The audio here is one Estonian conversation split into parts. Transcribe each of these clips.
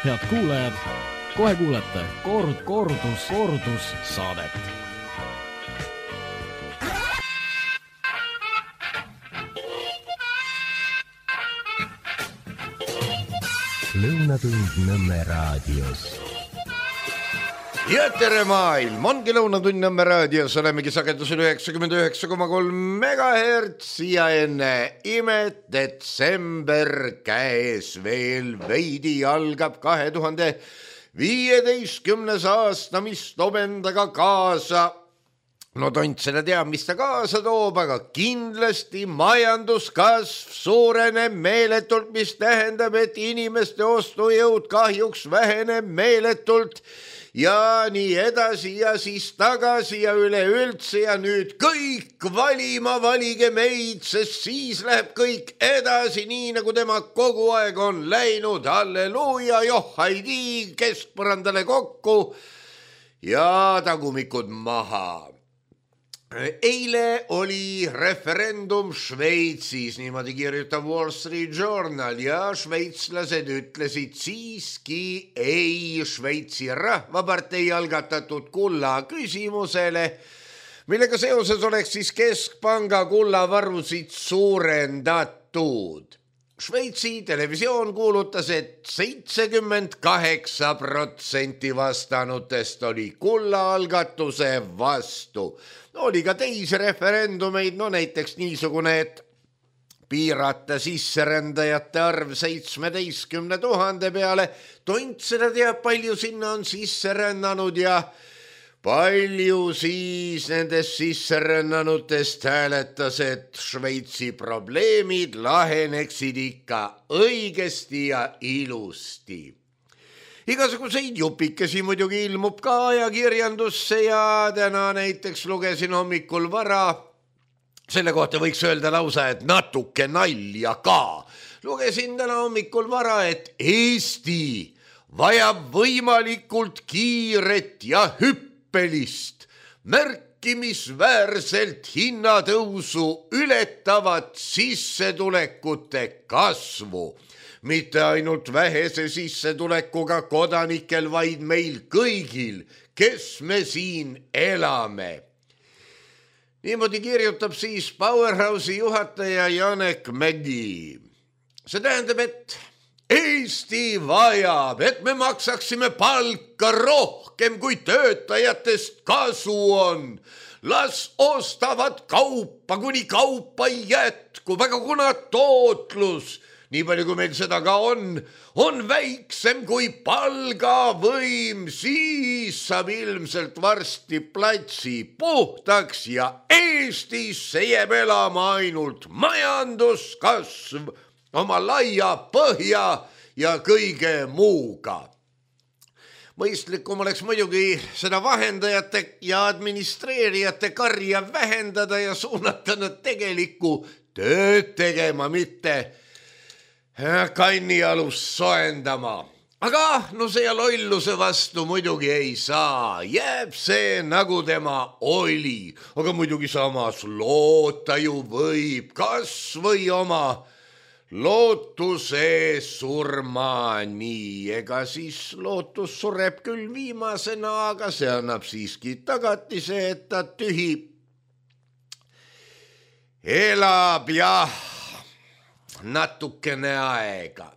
Head kuulajad, kohe kuulete kordus saadet. Lõunatund Nõmme raadios. Ja tere maailm, ongi Lõunatund Nõmme raadios, olemegi sagedusel 99,3 MHz ja enne imet detsember käes veel veidi algab 2015. aasta, mis toob endaga kaasa, no tont seda teab, mis ta kaasa toob, aga kindlasti majanduskasv suureneb meeletult, mis tähendab, et inimeste ostujõud kahjuks väheneb meeletult ja nii edasi ja siis tagasi ja üleüldse ja nüüd kõik valima, valige meid, sest siis läheb kõik edasi nii, nagu tema kogu aeg on läinud. Halleluuja, johhaidi, keskpõrandale kokku ja tagumikud maha. Eile oli referendum Šveitsis, niimoodi kirjutab Wall Street Journal ja šveitslased ütlesid siiski ei Šveitsi rahvapartei algatatud kulla küsimusele, millega seoses oleks siis keskpanga kullavarusid suurendatud. Šveitsi televisioon kuulutas, et 78% vastanutest oli kullaalgatuse vastu. Oli ka teisi referendumeid, no näiteks niisugune, et piirata sisserändajate arv 17 000 peale. Tont seda teab, palju sinna on sisserännanud ja palju siis nendest sisserännanutest hääletas, et Šveitsi probleemid laheneksid ikka õigesti ja ilusti. Igasuguseid jupikesi muidugi ilmub ka ajakirjandusse ja täna näiteks lugesin hommikul vara, selle kohta võiks öelda lausa, et natuke nalja ka. Lugesin täna hommikul vara, et Eesti vajab võimalikult kiiret ja hüppelist, märkimisväärselt hinnatõusu ületavat sissetulekute kasvu. Mitte ainult vähese sissetulekuga kodanikel, vaid meil kõigil, kes me siin elame. Niimoodi kirjutab siis Powerhouse'i juhataja Janek Mägi. See tähendab, et Eesti vajab, et me maksaksime palka rohkem, kui töötajatest kasu on. Las ostavad kaupa, kuni kaupa ei jätku, aga kuna tootlus, nii palju kui meil seda ka on väiksem kui palgavõim, siis saab ilmselt varsti platsi puhtaks ja Eestisse jääb elama ainult majanduskasv oma laia põhja ja kõige muuga. Mõistlikum oleks muidugi seda vahendajate ja administreerijate karja vähendada ja suunata nad tegelikku tööd tegema, mitte kannialust soendama. Aga no see lolluse vastu muidugi ei saa. Jääb see nagu tema oli. Aga muidugi samas loota ju võib, kas või oma lootuse surmani. Ega siis lootus sureb küll viimasena, aga see annab siiski tagatise, et ta tühi elab ja natukene aega.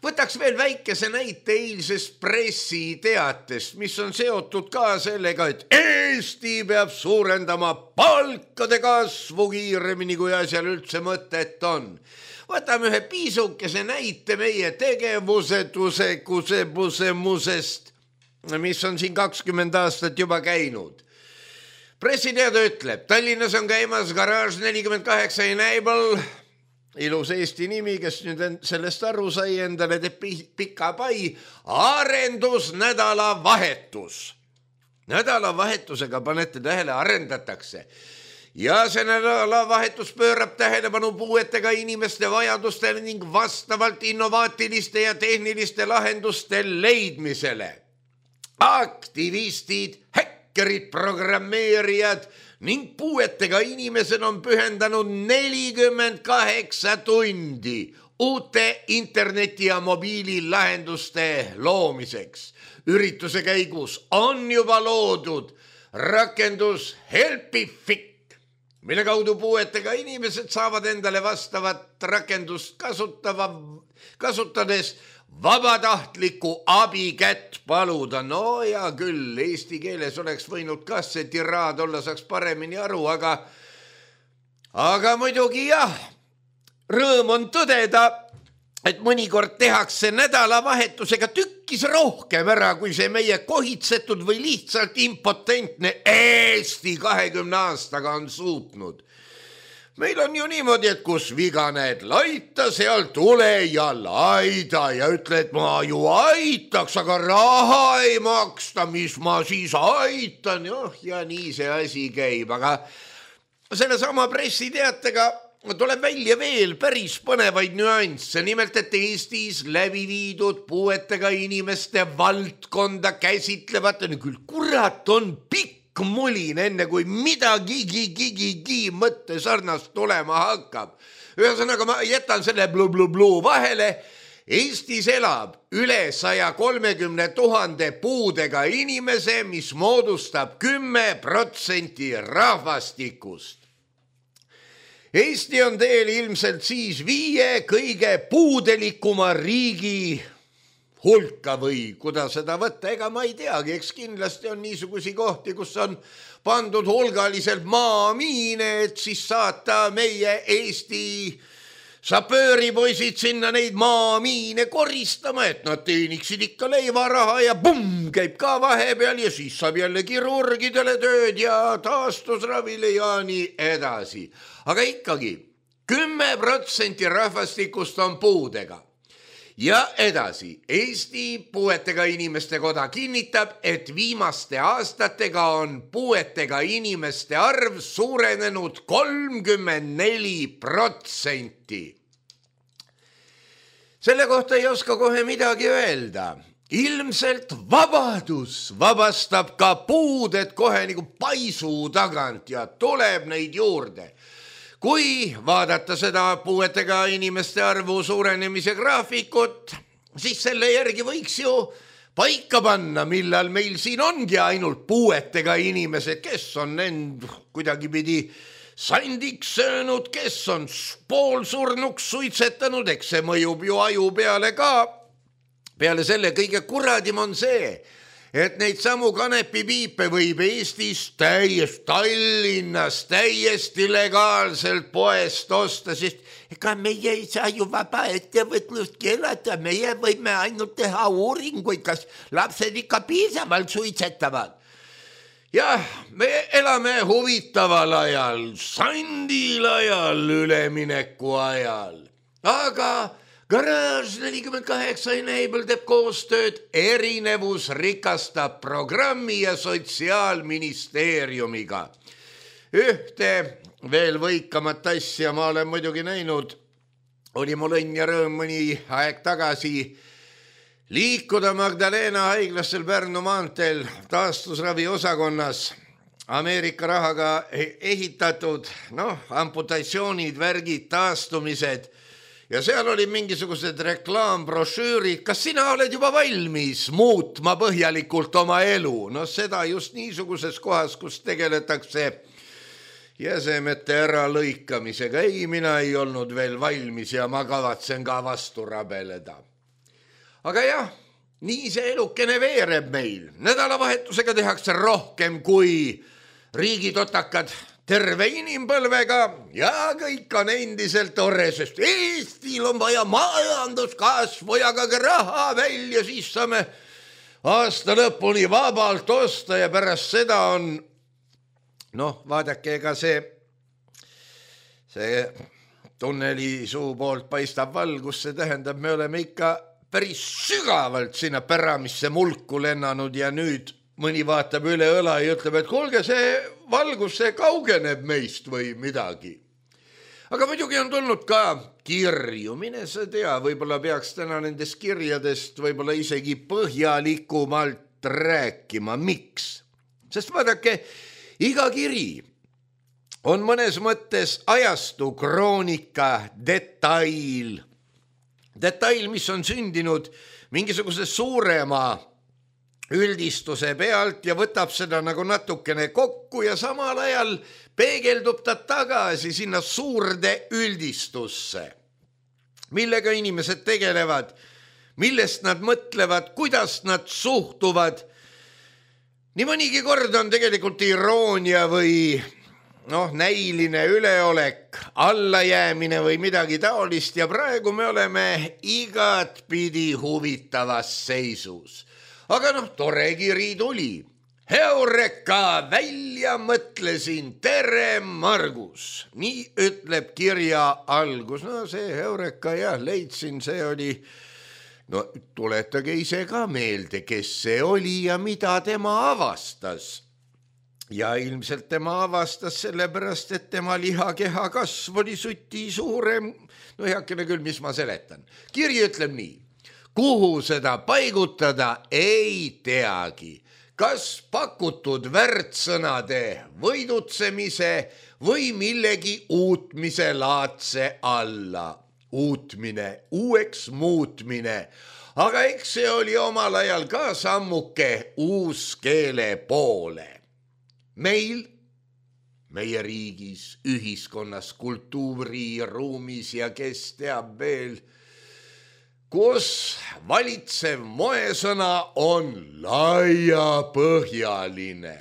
Võtaks veel väikese näite eilsest pressiteatest, mis on seotud ka sellega, et Eesti peab suurendama palkade kasvu kiiremini, kui asjal üldse mõtet on. Võtame ühe piisukese näite meie tegevusetusekusemusest, mis on siin 20 aastat juba käinud. Pressiteade ütleb, Tallinnas on käimas Garage 48 Enable, ilus Eesti nimi, kes nüüd sellest aru sai, endale teeb pika pai, arendusnädala vahetus. Nädalavahetusega panete tähele, arendatakse. Ja see nädalavahetus pöörab tähelepanu puuetega inimeste vajadustele ning vastavalt innovaatiliste ja tehniliste lahenduste leidmisele. Aktivistid, häkkerid, programmeerijad, ning puuetega inimesed on pühendanud 48 tundi uute interneti- ja mobiililahenduste loomiseks. Ürituse käigus on juba loodud rakendus Helpifik, mille kaudu puuetega inimesed saavad endale vastavat rakendust kasutades vabatahtliku abi kätt paluda. No ja küll, eesti keeles oleks võinud ka see tiraad olla, saaks paremini aru, aga muidugi jah, rõõm on tõdeda, et mõnikord tehakse nädalavahetusega tükkis rohkem ära, kui see meie kohitsetud või lihtsalt impotentne Eesti 20 aastaga on suutnud. Meil on ju niimoodi, et kus viga näed, laita, seal tule ja laida ja ütle, et ma ju aitaks, aga raha ei maksta, mis ma siis aitan. Ja nii see asi käib, aga sellesama pressiteatega tuleb välja veel päris põnevaid nüansse. Nimelt, et Eestis läbi viidud puuetega inimeste valdkonda käsitlevate, küll kurat on pikk mulin, enne kui midagi mõtte sarnast tulema hakkab. Ühesõnaga, ma jätan selle bluu vahele. Eestis elab üle 130 000 puudega inimese, mis moodustab 10% rahvastikust. Eesti on teel ilmselt siis 5 kõige puudelikuma riigi hulka või kuidas seda võtta, ega ma ei teagi, eks kindlasti on niisugusi kohti, kus on pandud hulgaliselt maamiine, et siis saata meie Eesti sapööripoisid sinna neid maamiine koristama, et nad teeniksid ikka leivaraha ja pumm, käib ka vahepeal ja siis saab jälle kirurgidele tööd ja taastusravile ja nii edasi. Aga ikkagi 10% rahvastikust on puudega. Ja edasi, Eesti Puuetega Inimeste Koda kinnitab, et viimaste aastatega on puuetega inimeste arv suurenenud 34%. Selle kohta ei oska kohe midagi öelda. Ilmselt vabadus vabastab ka puuded kohe nagu paisu tagant ja tuleb neid juurde. Kui vaadata seda puuetega inimeste arvu suurenemise graafikut, siis selle järgi võiks ju paika panna, millal meil siin ongi ainult puuetega inimesed, kes on end kuidagipidi sandiks söönud, kes on poolsurnuks suitsetanud, eks see mõjub ju aju peale ka. Peale selle kõige kuradim on see, et neid samu kanepipiipe võib Eestis Tallinnas täiesti legaalselt poest osta, sest ega meie ei saa ju vaba ettevõtlust keelata, meie võime ainult teha uuringuid, kas lapsed ikka piisavalt suitsetavad. Jah, me elame huvitaval ajal, sandil ajal, ülemineku ajal, aga Garage 48 Enable teeb koostööd Erinevus rikastab programmi ja Sotsiaalministeeriumiga. Ühte veel võikamat asja ma olen muidugi näinud. Oli mul õnn ja rõõm mõni aeg tagasi liikuda Magdalena haiglassel Pärnu maanteel taastusravi osakonnas. Ameerika rahaga ehitatud, amputatsioonid, värgid, taastumised. Ja seal oli mingisugused reklaambrošüürid, kas sina oled juba valmis muutma põhjalikult oma elu? Seda just niisuguses kohas, kus tegeletakse jäsemete äralõikamisega. Ei, mina ei olnud veel valmis ja ma kavatsen ka vastu rabeleda. Aga jah, nii see elukene veereb meil. Nädalavahetusega tehakse rohkem kui riigitotakad terve inimpõlvega ja kõik on endiselt tore, sest Eestil on vaja majanduskasvu ja ka raha välja, siis saame aasta lõpuni vabalt osta ja pärast seda on, vaadake, ega see tunneli suu poolt paistab valgus, see tähendab, me oleme ikka päris sügavalt sinna päramisse mulku lennanud ja nüüd mõni vaatab üle õla ja ütleb, et kuulge, see valgus, see kaugeneb meist või midagi. Aga muidugi on tulnud ka kirju, mine sa tea, võib-olla peaks täna nendest kirjadest võib-olla isegi põhjalikumalt rääkima. Miks? Sest vaadake, iga kiri on mõnes mõttes ajastu kroonika detail. Detail, mis on sündinud mingisuguse suurema üldistuse pealt ja võtab seda nagu natukene kokku ja samal ajal peegeldub ta tagasi sinna suurde üldistusse, millega inimesed tegelevad, millest nad mõtlevad, kuidas nad suhtuvad. Nii mõnigi kord on tegelikult iroonia või näiline üleolek, allajäämine või midagi taolist ja praegu me oleme igatpidi huvitavas seisus. Aga tore kiri tuli. Heureka, välja mõtlesin, tere Margus. Nii ütleb kirja algus. See Heureka leidsin, see oli... tuletage ise ka meelde, kes see oli ja mida tema avastas. Ja ilmselt tema avastas sellepärast, et tema lihakeha kasv oli suti suurem. Heakene küll, mis ma seletan. Kiri ütleb nii. Kuhu seda paigutada ei teagi. Kas pakutud värtsõnade võidutsemise või millegi uutmise laadse alla. Uutmine, uueks muutmine. Aga eks see oli omal ajal ka sammuke uuskeele poole. Meil, meie riigis, ühiskonnas, kultuuriruumis ja kes teab veel, kus valitsev moesõna on laiapõhjaline.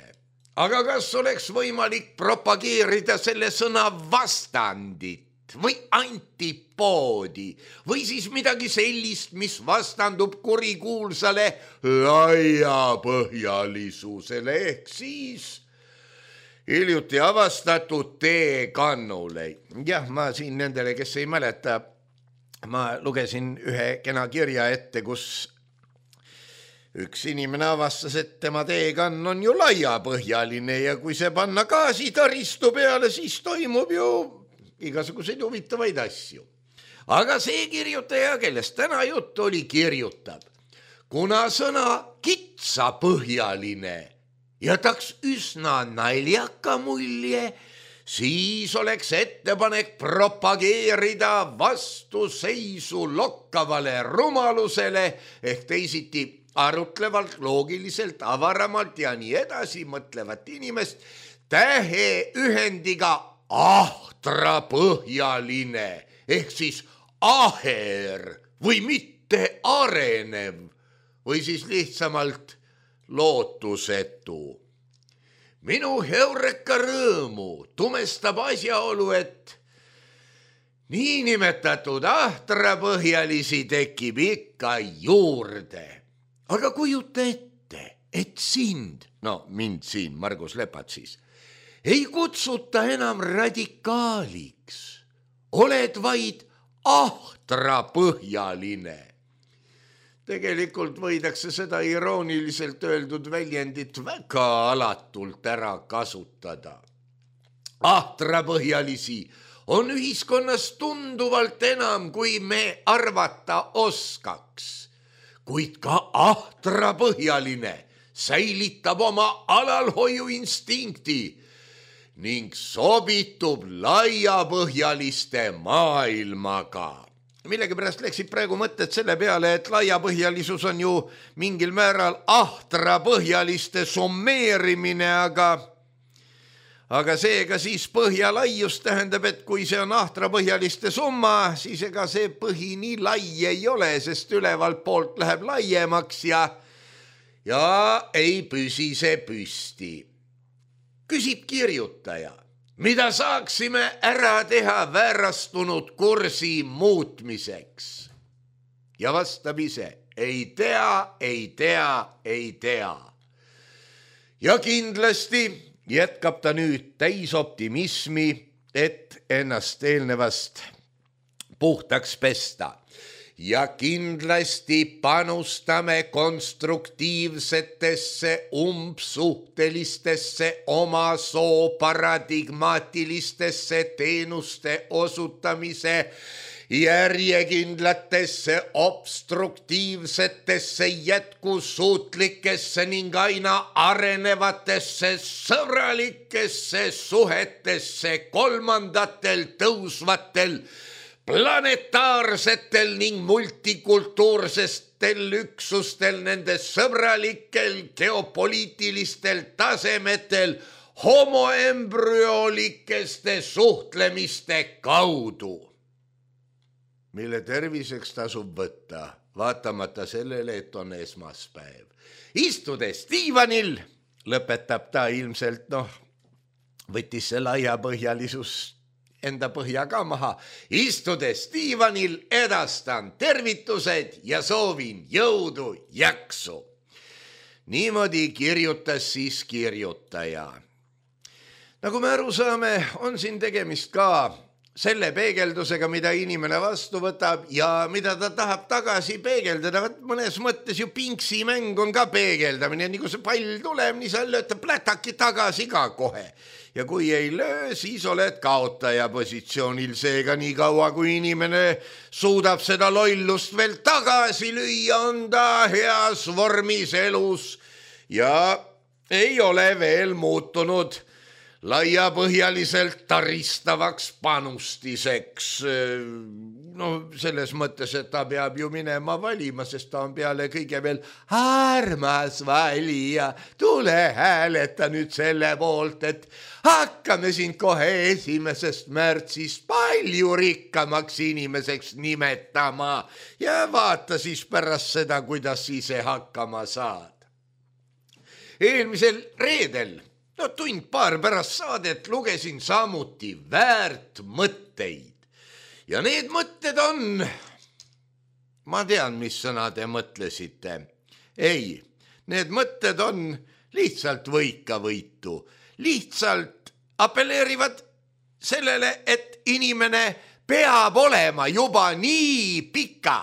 Aga kas oleks võimalik propageerida selle sõna vastandit või antipoodi või siis midagi sellist, mis vastandub kurikuulsale laiapõhjalisusele ehk siis hiljuti avastatud teekannule. Jah, ma siin nendele, kes ei mäleta, ma lugesin ühe kena kirja ette, kus üks inimene avastas, et tema teekann on ju laiapõhjaline ja kui see panna gaasitaristu peale, siis toimub ju igasuguseid huvitavaid asju. Aga see kirjutaja, kellest täna jutt oli, kirjutab, kuna sõna kitsapõhjaline jätaks üsna naljaka mulje, siis oleks ettepanek propageerida vastuseisu lokkavale rumalusele ehk teisiti arutlevalt, loogiliselt, avaramalt ja nii edasi mõtlevat inimest täheühendiga ahtrapõhjaline ehk siis aher või mitte arenev või siis lihtsamalt lootusetu. Minu heureka rõõmu tumestab asjaolu, et niinimetatud ahtrapõhjalisi tekib ikka juurde. Aga kujuta ette, et sind, mind siin, Margus Lepat siis, ei kutsuta enam radikaaliks. Oled vaid ahtrapõhjaline. Tegelikult võidakse seda irooniliselt öeldud väljendit väga alatult ära kasutada. Ahtrapõhjalisi on ühiskonnas tunduvalt enam, kui me arvata oskaks. Kuid ka ahtrapõhjaline säilitab oma alalhoiuinstinkti ning sobitub laiapõhjaliste maailmaga. Millegipärast läksid praegu mõtted selle peale, et laiapõhjalisus on ju mingil määral ahtrapõhjaliste summeerimine, aga seega siis põhjalaius tähendab, et kui see on ahtrapõhjaliste summa, siis ega see põhi nii lai ei ole, sest ülevalt poolt läheb laiemaks ja ei püsi see püsti. Küsib kirjutaja. Mida saaksime ära teha väärastunud kursi muutmiseks? Ja vastab ise, ei tea. Ja kindlasti jätkab ta nüüd täis optimismi, et ennast eelnevast puhtaks pesta. Ja kindlasti panustame konstruktiivsetesse, umbsuhtelistesse, oma soo paradigmaatilistesse teenuste osutamise järjekindlatesse, obstruktiivsetesse, jätkusuutlikesse ning aina arenevatesse sõbralikesse suhetesse kolmandatel tõusvatel planetaarsetel ning multikultuursestel üksustel nende sõbralikel geopoliitilistel tasemetel homoembrüolikeste suhtlemiste kaudu, mille terviseks tasub võtta, vaatamata sellele, et on esmaspäev. Istudes diivanil, lõpetab ta ilmselt, võttis see laiapõhjalisus enda põhja ka maha. Istudes diivanil edastan tervitused ja soovin jõudu, jaksu. Niimoodi kirjutas siis kirjutaja. Nagu me aru saame, on siin tegemist ka selle peegeldusega, mida inimene vastu võtab ja mida ta tahab tagasi peegeldada. Mõnes mõttes ju pinksimäng on ka peegeldamine. Nii kui see pall tuleb, nii sa lööd plätaki tagasi ka kohe. Ja kui ei löö, siis oled kaotaja positsioonil. Seega nii kaua, kui inimene suudab seda lollust veel tagasi lüüa, on ta heas vormis elus ja ei ole veel muutunud laiapõhjaliselt taristavaks panustiseks. Selles mõttes, et ta peab ju minema valima, sest ta on peale kõige veel armas valija. Tule hääleta nüüd selle poolt, et hakkame sind kohe 1. märtsist palju rikkamaks inimeseks nimetama ja vaata siis pärast seda, kuidas ise hakkama saad. Eelmisel reedel, tund-paar pärast saadet lugesin samuti väärt mõtteid. Ja need mõtted on, ma tean, mis sõna te mõtlesite. Ei, need mõtted on lihtsalt võikavõitu. Lihtsalt apelleerivad sellele, et inimene peab olema juba nii pika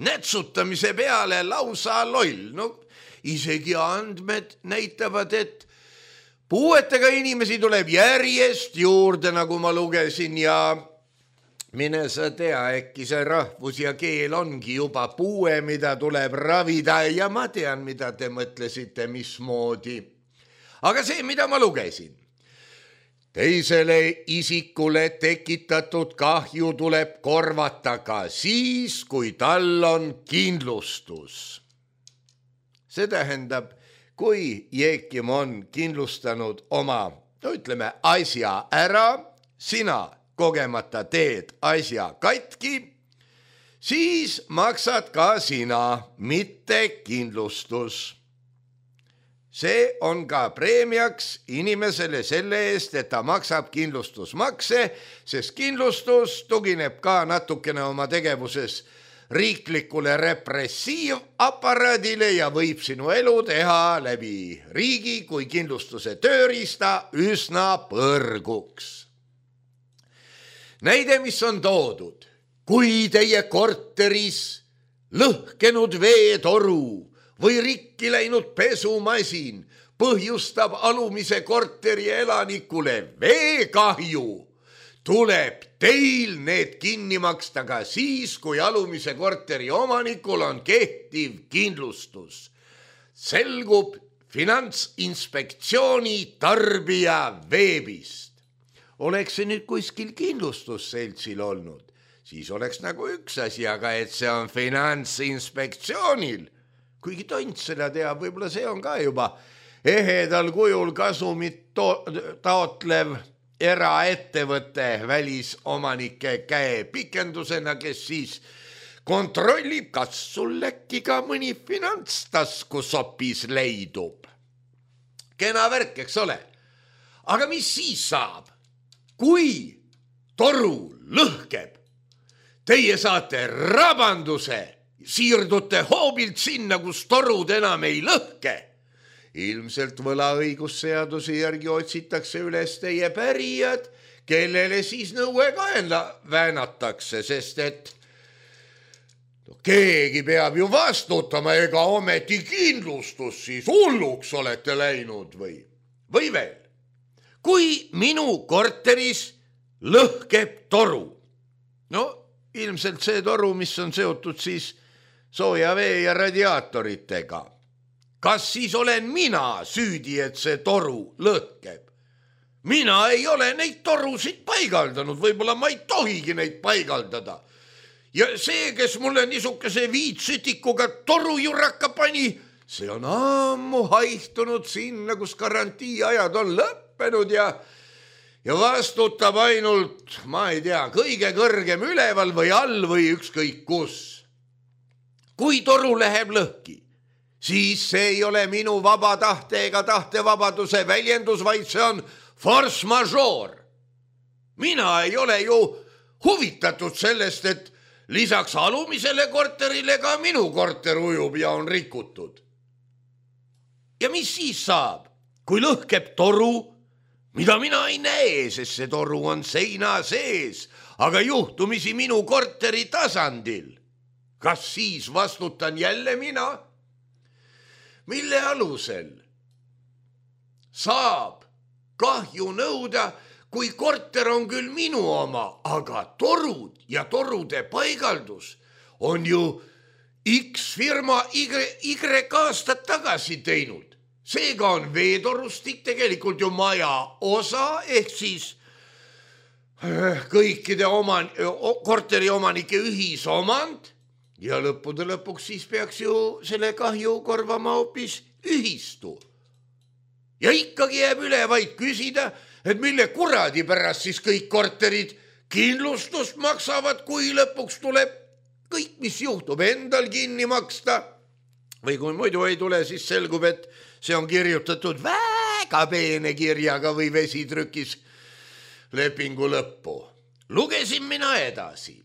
nätsutamise peale lausa loll. Isegi andmed näitavad, et puuetega inimesi tuleb järjest juurde, nagu ma lugesin, ja mine sa tea, äkki see rahvus ja keel ongi juba puue, mida tuleb ravida ja ma tean, mida te mõtlesite, mismoodi. Aga see, mida ma lugesin, teisele isikule tekitatud kahju tuleb korvata ka siis, kui tal on kindlustus. See tähendab, kui Jeekim on kindlustanud oma, asja ära, sina kogemata teed asja katki, siis maksad ka sina, mitte kindlustus. See on ka preemiaks inimesele selle eest, et ta maksab kindlustusmakse, sest kindlustus tugineb ka natukene oma tegevuses riiklikule repressiivaparaadile ja võib sinu elu teha läbi riigi kui kindlustuse tööriista üsna põrguks. Näide, mis on toodud, kui teie korteris lõhkenud veetoru või rikki läinud pesumasin põhjustab alumise korteri elanikule veekahju, tuleb teil need kinni maksta ka siis, kui alumise korteri omanikul on kehtiv kindlustus. Selgub Finantsinspektsiooni tarbija veebist. Oleks see nüüd kuskil kindlustusseltsil olnud, siis oleks nagu üks asi, aga et see on Finantsinspektsioonil. Kuigi tont seda teab, võib-olla see on ka juba ehedal kujul kasumit taotlev eraettevõte välisomanike käe pikendusena, kes siis kontrollib, kas sul äkki ka mõni finantstaskusopis leidub. Kena värk, eks ole. Aga mis siis saab, kui toru lõhkeb? Teie saate rabanduse, siirdute hoobilt sinna, kus torud enam ei lõhke. Ilmselt võlaõigusseaduse järgi otsitakse üles teie pärijad, kellele siis nõue kaela väänatakse, sest et keegi peab ju vastutama, ega ometi kindlustus siis hulluks olete läinud või veel. Kui minu korteris lõhkeb toru, ilmselt see toru, mis on seotud siis sooja vee ja radiaatoritega. Kas siis olen mina süüdi, et see toru lõhkeb? Mina ei ole neid torusid paigaldanud, võib-olla ma ei tohigi neid paigaldada. Ja see, kes mulle niisuguse viitsütikuga torujuraka pani, see on ammu haihtunud sinna, kus garantiiajad on lõppenud ja vastutab ainult, ma ei tea, kõige kõrgem üleval või all või ükskõik kus. Kui toru läheb lõhki, siis see ei ole minu vaba tahte ega tahtevabaduse väljendus, vaid see on force majeure. Mina ei ole ju huvitatud sellest, et lisaks alumisele korterile ka minu korter ujub ja on rikutud. Ja mis siis saab, kui lõhkeb toru, mida mina ei näe, sest see toru on seina sees, aga juhtumisi minu korteri tasandil? Kas siis vastutan jälle mina? Mille alusel saab kahju nõuda, kui korter on küll minu oma, aga torud ja torude paigaldus on ju X firma Y aastat tagasi teinud. Seega on veetorustik tegelikult ju maja osa, ehk siis kõikide korteriomanike ühisomand ja lõppude lõpuks siis peaks ju selle kahju korvama hoopis ühistu. Ja ikkagi jääb üle vaid küsida, et mille kuradi pärast siis kõik korterid kindlustust maksavad, kui lõpuks tuleb kõik, mis juhtub, endal kinni maksta. Või kui muidu ei tule, siis selgub, et see on kirjutatud väga peene kirjaga või vesitrükis lepingu lõppu. Lugesin mina edasi.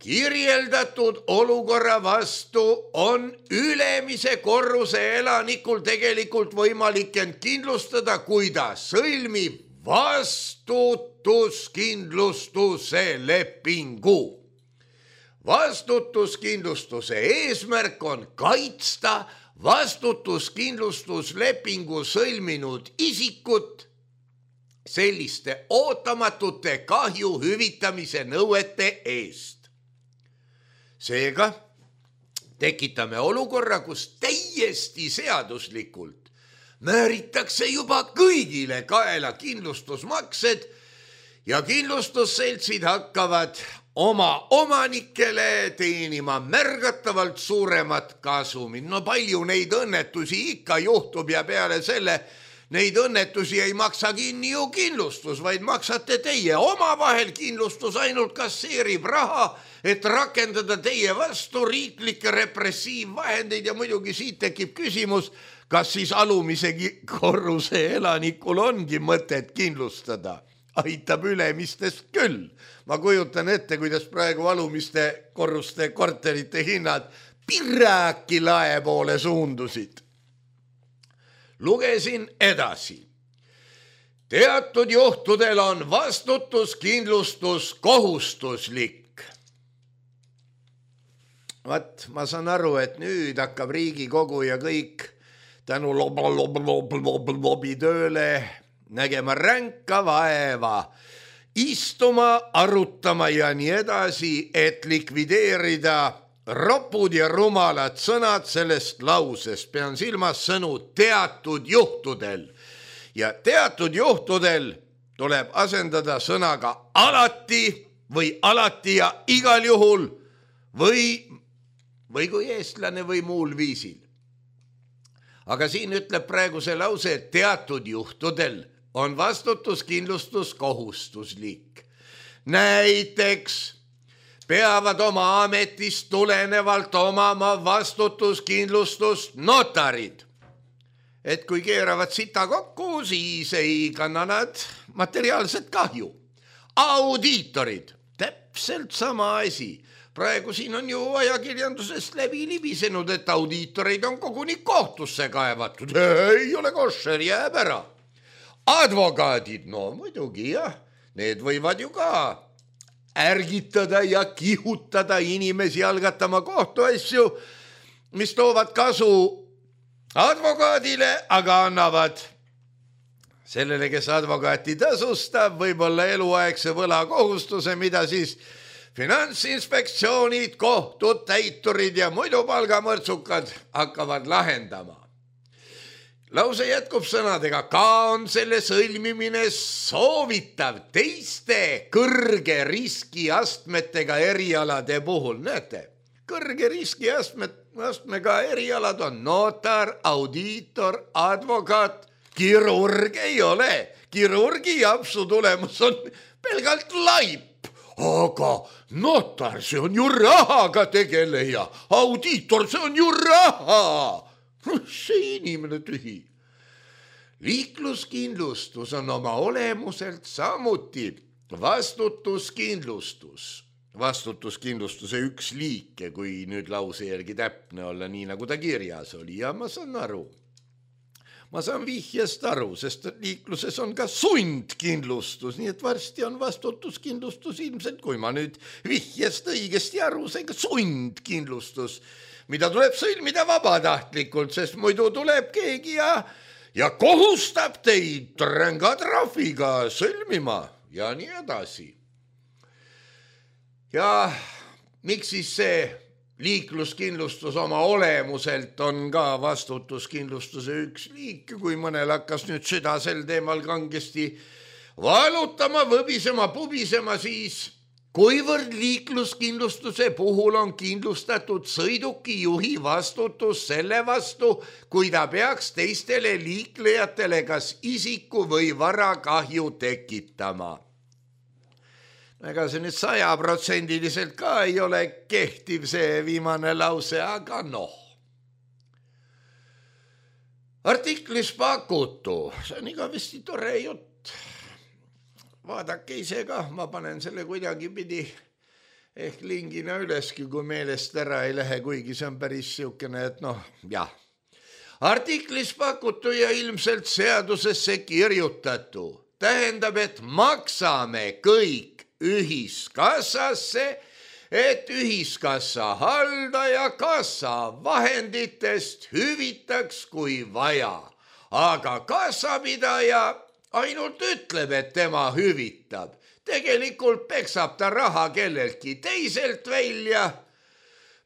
Kirjeldatud olukorra vastu on ülemise korruse elanikul tegelikult võimalik end kindlustada, kui ta sõlmib vastutuskindlustuse lepingu. Vastutuskindlustuse eesmärk on kaitsta vastutuskindlustuslepingu sõlminud isikut selliste ootamatute kahju hüvitamise nõuete eest. Seega tekitame olukorra, kus täiesti seaduslikult määritakse juba kõigile kaela kindlustusmaksed ja kindlustusseltsid hakkavad oma omanikele teenima märgatavalt suuremat kasumit. No palju neid õnnetusi ikka juhtub ja peale selle neid õnnetusi ei maksa kinni ju kindlustus, vaid maksate teie omavahel. Kindlustus ainult kasseerib raha, et rakendada teie vastu riiklikke repressiivvahendeid ja muidugi siit tekib küsimus, kas siis alumise korruse elanikul ongi mõtet kindlustada. Aitab ülemistest küll. Ma kujutan ette, kuidas praegu alumiste korruste korterite hinnad piraki lae poole suundusid. Lugesin edasi. Teatud juhtudel on vastutuskindlustus kohustuslik. Ma saan aru, et nüüd hakkab Riigikogu ja kõik tänu lobi tööle nägema ränka vaeva, istuma, arutama ja nii edasi, et likvideerida ropud ja rumalad sõnad sellest lausest. Pean silmas sõnu teatud juhtudel. Ja teatud juhtudel tuleb asendada sõnaga alati või alati ja igal juhul või kui eestlane või muul viisil. Aga siin ütleb praegu see lause, et teatud juhtudel on vastutuskindlustus kohustuslik. Näiteks peavad oma ametist tulenevalt omama vastutuskindlustust notarid. Et kui keeravad sita kokku, siis ei kanna nad materiaalset kahju. Audiitorid, täpselt sama asi. Praegu siin on ju ajakirjandusest läbi libisenud, et audiitoreid on koguni kohtusse kaevatud. Ei ole košer, jääb ära. Advokaadid, no muidugi jah, need võivad ju ka ärgitada ja kihutada inimesi algatama kohtuasju, mis toovad kasu advokaadile, aga annavad sellele, kes advokaati tasustab, võib-olla eluaegse võlakohustuse, mida siis Finantsinspektsioonid, kohtud, täiturid ja muidu palgamõrtsukad hakkavad lahendama. Lause jätkub sõnadega, ka on selle sõlmimine soovitav teiste kõrge riskiastmetega erialade puhul. Näete, kõrge riskiastmega erialad on notar, audiitor, advokaat, kirurg ei ole. Kirurgi japsu tulemus on pelgalt laip, aga notar, see on ju rahaga tegeleja, audiitor, see on ju raha. See inimene tühi. Liikluskindlustus on oma olemuselt samuti vastutuskindlustus. Vastutuskindlustuse üks liike, kui nüüd lause järgi täpne olla, nii nagu ta kirjas oli, ja ma saan aru. Ma saan vihjest aru, sest liikluses on ka sundkindlustus, nii et varsti on vastutuskindlustus ilmselt, kui ma nüüd vihjest õigesti aru sain, ka sundkindlustus, mida tuleb sõlmida vabatahtlikult, sest muidu tuleb keegi ja kohustab teid ränga trahviga sõlmima ja nii edasi. Ja miks siis see liikluskindlustus oma olemuselt on ka vastutuskindlustuse üks liik, kui mõnel hakkas nüüd süda sel teemal kangesti valutama, võbisema, pubisema, siis kuivõrd liikluskindlustuse puhul on kindlustatud sõiduki juhi vastutus selle vastu, kui ta peaks teistele liiklejatele kas isiku või varakahju tekitama. Ega see nüüd 100% ka ei ole kehtiv see viimane lause, aga noh. Artiklis pakutu, see on igavesti tore jutt. Vaadake ise ka, ma panen selle kuidagi pidi ehk lingina üleski, kui meelest ära ei lähe, kuigi see on päris siukene, et noh, jah. Artiklis pakutu ja ilmselt seadusesse kirjutatu tähendab, et maksame kõik ühiskassasse, et ühiskassa haldaja kassa vahenditest hüvitaks kui vaja, aga kassapidaja ainult ütleb, et tema hüvitab. Tegelikult peksab ta raha kelleltki teiselt välja,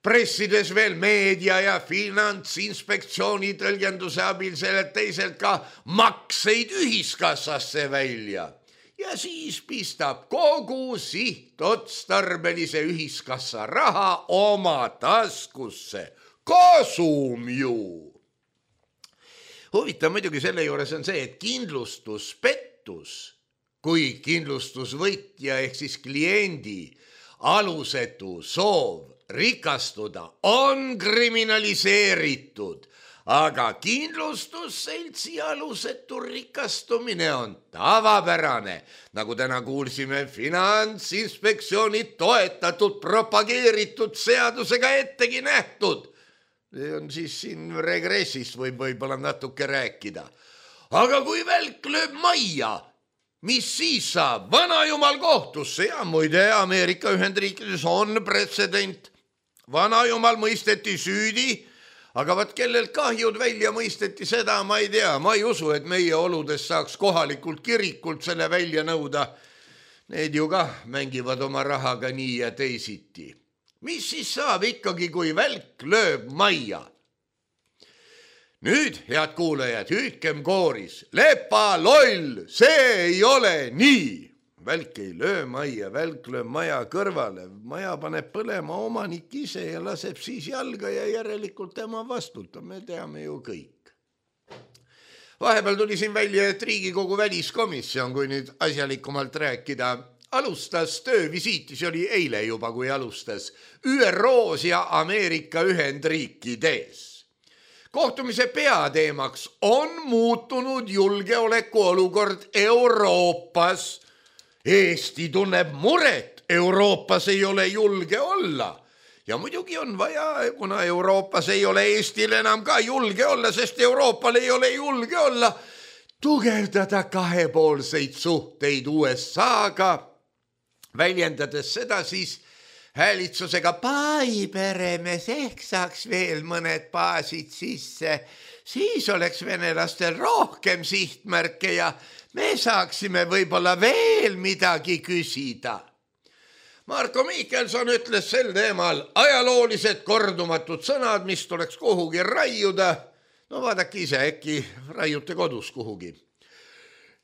pressides veel meedia ja Finantsinspektsiooni tõlgenduse abil sellelt teiselt ka makseid ühiskassasse välja. Ja siis pistab kogu sihtotstarbelise ühiskassa raha oma taskusse. Kasum ju! Huvitav muidugi selle juures on see, et kindlustuspettus, kui kindlustusvõtja ehk siis kliendi alusetu soov rikastuda on kriminaliseeritud, aga kindlustusseltsi alusetu rikastumine on tavapärane, nagu täna kuulsime Finantsinspektsiooni toetatud, propageeritud seadusega ettegi nähtud. See on siis siin regressist võib-olla natuke rääkida. Aga kui välk lööb majja, mis siis saab? Vanajumal kohtusse ja muide Ameerika Ühendriikides on pretsedent. Vanajumal mõisteti süüdi, aga vaat kellelt kahjud välja mõisteti, seda ma ei tea. Ma ei usu, et meie oludes saaks kohalikult kirikult selle välja nõuda. Need ju ka mängivad oma rahaga nii ja teisiti. Mis siis saab ikkagi, kui välk lööb majja? Nüüd, head kuulajad, hüüdkem kooris. Lepa loll, see ei ole nii. Välk ei löö majja, välk lööb maja kõrvale. Maja paneb põlema omanik ise ja laseb siis jalga ja järelikult tema vastutab. Me teame ju kõik. Vahepeal tuli siin välja, et Riigikogu väliskomisjon, kui nüüd asjalikumalt rääkida, alustas töövisiiti, see oli eile juba, kui alustas, ÜROs ja Ameerika Ühendriikides. Kohtumise peateemaks on muutunud julgeolekuolukord Euroopas. Eesti tunneb muret, Euroopas ei ole julge olla. Ja muidugi on vaja, kuna Euroopas ei ole Eestil enam ka julge olla, sest Euroopal ei ole julge olla, tugevdada kahepoolseid suhteid USA-ga, väljendades seda siis häälitsusega paiperemes ehk saaks veel mõned baasid sisse, siis oleks venelastel rohkem sihtmärke ja me saaksime võib-olla veel midagi küsida. Marko Mihkelson ütles sel teemal ajaloolised kordumatud sõnad, mis tuleks kuhugi raiuda. No vaadake ise, äkki raiute kodus kuhugi.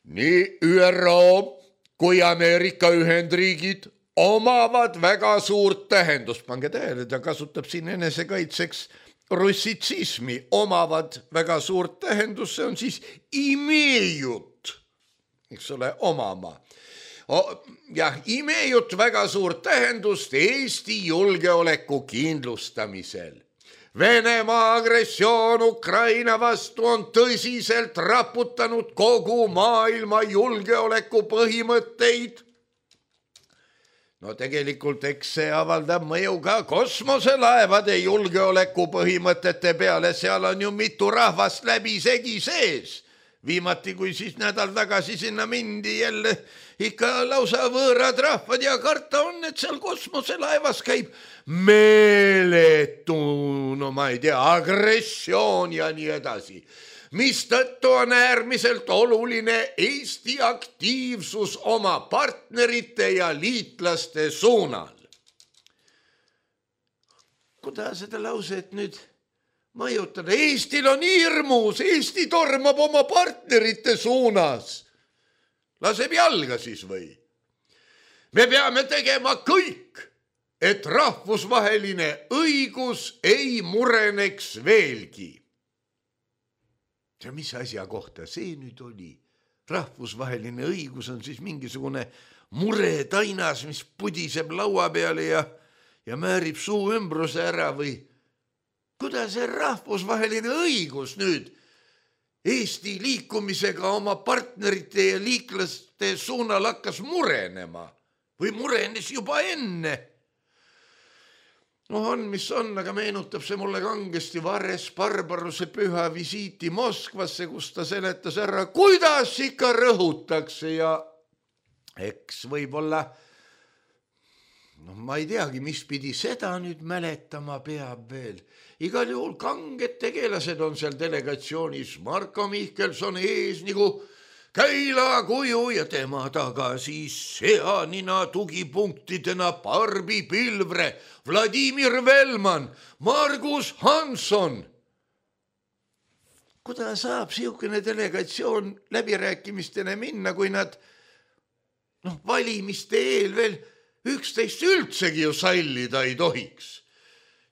Nii ÜRO kui Ameerika Ühendriigid omavad väga suurt tähendust. Pange tähele, ta kasutab siin enesekaitseks russitsismi. Omavad väga suurt tähendust, see on siis imejut, eks ole, omama. Jah, imejut väga suurt tähendust Eesti julgeoleku kindlustamisel. Venemaa agressioon Ukraina vastu on tõsiselt raputanud kogu maailma julgeoleku põhimõtteid. No tegelikult eks see avaldab mõju ka kosmoselaevade julgeoleku põhimõtete peale, seal on ju mitu rahvast läbisegi sees. Viimati, kui siis nädal tagasi sinna mindi, jälle ikka lausa võõrad rahvad ja karta on, et seal kosmoselaevas käib meeletu, no ma ei tea, agressioon ja nii edasi. Mistõttu on äärmiselt oluline Eesti aktiivsus oma partnerite ja liitlaste suunal. Kuidas seda lauset nüüd mõjutada? Eestil on hirmus, Eesti tormab oma partnerite suunas. Laseb jalga siis või? Me peame tegema kõik, et rahvusvaheline õigus ei mureneks veelgi. Ja mis asja kohta see nüüd oli? Rahvusvaheline õigus on siis mingisugune muretainas, mis pudiseb laua peale ja määrib suu ümbruse ära või? Kuidas see rahvusvaheline õigus nüüd Eesti liikumisega oma partnerite ja liiklaste suunal hakkas murenema või murenes juba enne? No on, mis on, aga meenutab see mulle kangesti Vares Barbaruse püha visiiti Moskvasse, kus ta seletas ära, kuidas ikka rõhutakse ja eks võib-olla, no ma ei teagi, mis pidi seda nüüd mäletama peab veel. Igal juhul kanged tegelased on seal delegatsioonis, Marko Mihkelson ees nagu käilakuju ja tema taga siis seanina tugipunktidena Barbi Pilvre, Vladimir Velman, Margus Hansson. Kuidas saab siukene delegatsioon läbirääkimistele minna, kui nad valimiste eel veel üksteist üldsegi ju sallida ei tohiks?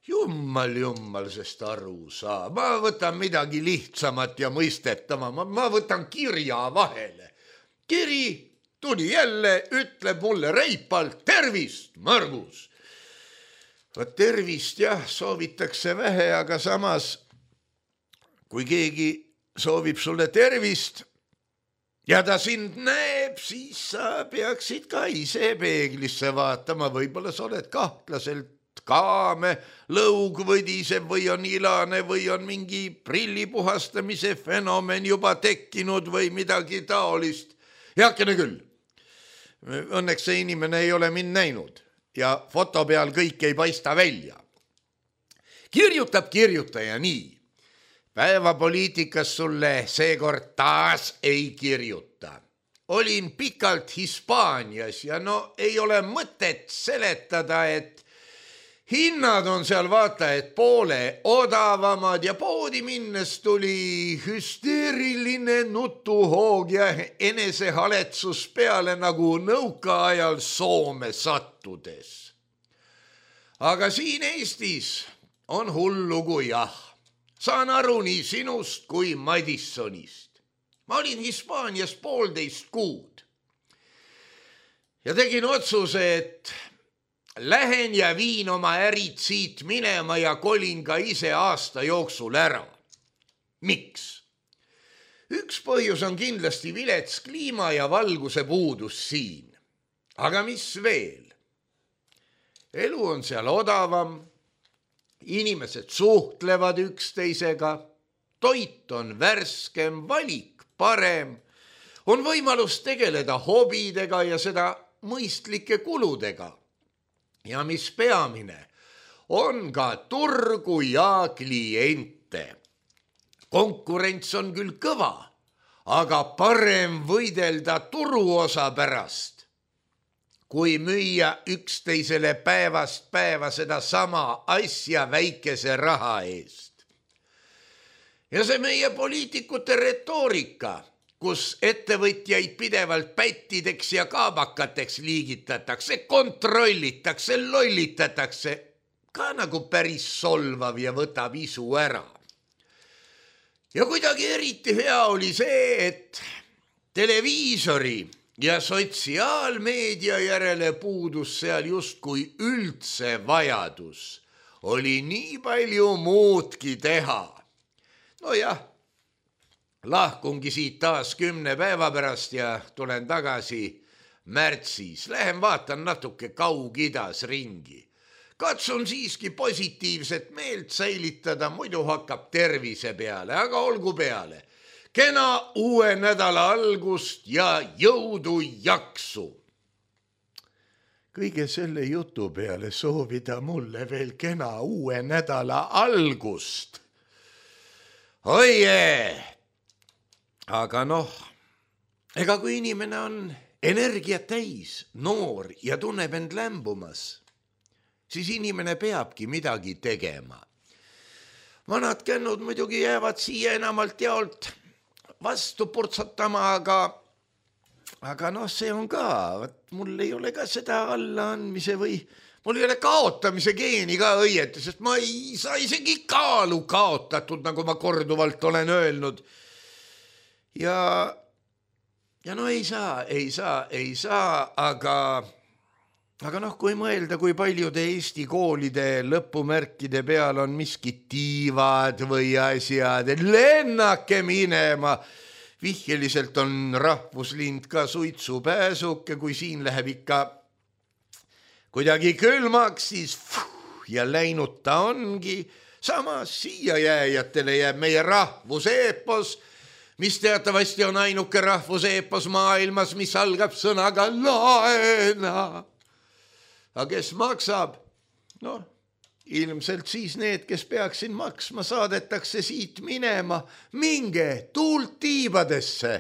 Jummal sest aru saa. Ma võtan midagi lihtsamat ja mõistetama. Ma võtan kirja vahele. Kiri tuli jälle, ütleb mulle reipalt, tervist, Margus. Võt tervist jah, soovitakse vähe, aga samas, kui keegi soovib sulle tervist ja ta sind näeb, siis sa peaksid ka ise peeglisse vaatama. Võib-olla sa oled kahtlaselt kaame, lõug võdiseb või on ilane või on mingi prillipuhastamise fenomen juba tekkinud või midagi taolist. Heakene küll. Õnneks see inimene ei ole mind näinud ja foto peal kõik ei paista välja. Kirjutab kirjutaja nii. Päevapoliitikas sulle seekord taas ei kirjuta. Olin pikalt Hispaanias ja ei ole mõtet seletada, et hinnad on seal vaata, et poole odavamad ja poodi minnes tuli hüsteeriline nutuhoog ja enesehaletsus peale nagu nõukaajal Soome sattudes. Aga siin Eestis on hull lugu jah. Saan aru nii sinust kui Madissonist. Ma olin Hispaanias 1,5 kuud ja tegin otsuse, et lähen ja viin oma ärid siit minema ja kolin ka ise aasta jooksul ära. Miks? Üks põhjus on kindlasti vilets kliima ja valguse puudus siin. Aga mis veel? Elu on seal odavam, inimesed suhtlevad üksteisega, toit on värskem, valik parem, on võimalus tegeleda hobidega ja seda mõistlike kuludega. ja mis peamine, on ka turgu ja kliente. Konkurents on küll kõva, aga parem võidelda turuosa pärast, kui müüa üksteisele päevast päeva seda sama asja väikese raha eest. Ja see meie poliitikute retoorika, kus ettevõtjaid pidevalt pättideks ja kaabakateks liigitatakse, kontrollitakse, lollitatakse, ka nagu päris solvav ja võtab isu ära. Ja kuidagi eriti hea oli see, et televiisori ja sotsiaalmeedia järele puudus seal justkui üldse vajadus. Oli nii palju muudki teha. Nojah, lahkungi siit taas 10 päeva pärast ja tulen tagasi märtsis. Lähen vaatan natuke Kaug-Idas ringi. Katsun siiski positiivset meelt säilitada, muidu hakkab tervise peale, aga olgu peale. Kena uue nädala algust ja jõudu jaksu. Kõige selle jutu peale soovida mulle veel kena uue nädala algust. Oie! Aga noh, ega kui inimene on energiat täis, noor ja tunneb end lämbumas, siis inimene peabki midagi tegema. Vanad kännud muidugi jäävad siia enamalt jaolt vastu purtsatama, aga noh, see on ka, mul ei ole ka seda allaandmise või mul ei ole kaotamise geeni ka õieti, sest ma ei saa isegi kaalu kaotatud, nagu ma korduvalt olen öelnud. Ja no ei saa, aga noh, kui mõelda, kui paljude Eesti koolide lõpumärkide peal on miskid tiivad või asjad, lennake minema. Vihjeliselt on rahvuslind ka suitsupääsuke, kui siin läheb ikka kuidagi külmaks, siis ja läinud ta ongi. Samas siia jääjatele jääb meie rahvuseepos, mis teatavasti on ainuke rahvuseepos maailmas, mis algab sõnaga laena. Aga kes maksab? Noh, ilmselt siis need, kes peaksin maksma, saadetakse siit minema. Minge tuult tiibadesse.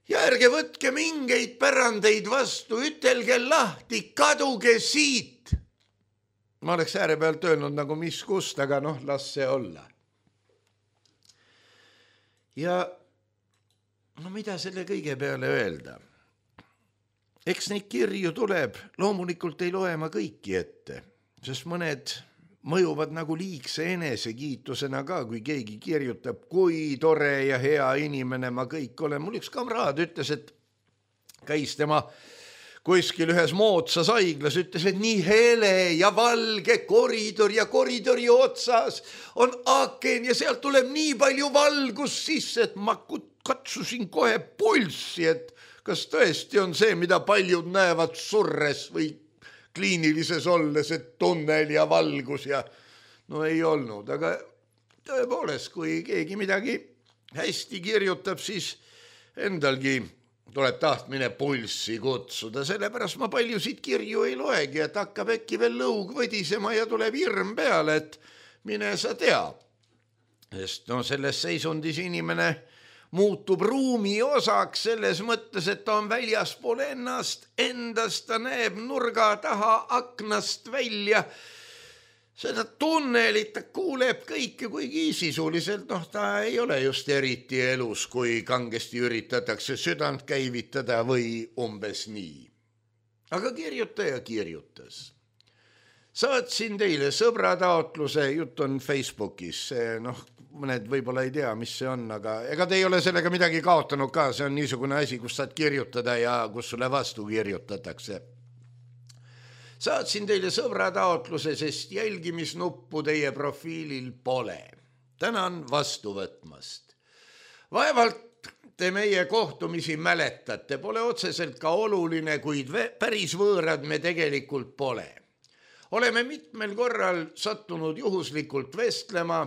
Ja ärge võtke mingeid pärandeid vastu, ütelge lahti, kaduge siit. Ma oleks ääre pealt öelnud nagu mis kust, aga noh, las see olla. Ja no mida selle kõige peale öelda? Eks neid kirju tuleb, loomulikult ei loe ma kõiki ette, sest mõned mõjuvad nagu liigse enesekiitusena ka, kui keegi kirjutab, kui tore ja hea inimene ma kõik olen. Mul üks kamraad ütles, et käis tema kuskil ühes moodsas haiglas, ütles, et nii hele ja valge koridor ja koridori otsas on aaken ja sealt tuleb nii palju valgust sisse, et ma katsusin kohe pulssi, et kas tõesti on see, mida paljud näevad surres või kliinilises olles, et tunnel ja valgus ja no ei olnud, aga tõepoolest, kui keegi midagi hästi kirjutab, siis endalgi tuleb tahtmine pulssi kutsuda, sellepärast ma paljusid kirju ei loegi, et hakkab äkki veel lõug võdisema ja tuleb hirm peale, et mine sa tea. Sest no selles seisundis inimene muutub ruumi osaks selles mõttes, et ta on väljaspool endast, ta näeb nurga taha aknast välja, seda tunnelit, ta kuuleb kõike, kuigi sisuliselt ta ei ole just eriti elus, kui kangesti üritatakse südant käivitada või umbes nii. Aga kirjutaja kirjutas. Saatsin teile sõbrataotluse, jutt on Facebookis, mõned võib-olla ei tea, mis see on, aga ega te ei ole sellega midagi kaotanud ka, see on niisugune asi, kus saad kirjutada ja kus sulle vastu kirjutatakse. Saatsin teile sõbrataotluse, sest jälgimisnuppu teie profiilil pole. Tänan vastu võtmast. Vaevalt te meie kohtumisi mäletate, pole otseselt ka oluline, kuid päris võõrad me tegelikult pole. Oleme mitmel korral sattunud juhuslikult vestlema,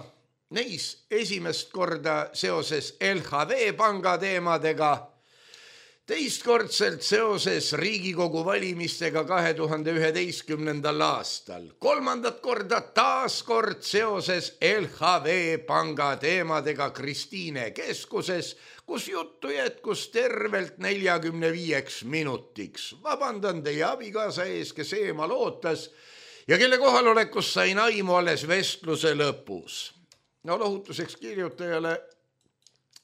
neis esimest korda seoses LHV panga teemadega, Teistkordselt seoses Riigikogu valimistega 2011. aastal, kolmandat korda taaskord seoses LHV panga teemadega Kristiine keskuses, kus juttu jätkus tervelt 45 minutiks. Vabandan teie abikaasa ees, kes eemal ootas ja kelle kohalolekust sain aimu alles vestluse lõpus. No lohutuseks kirjutajale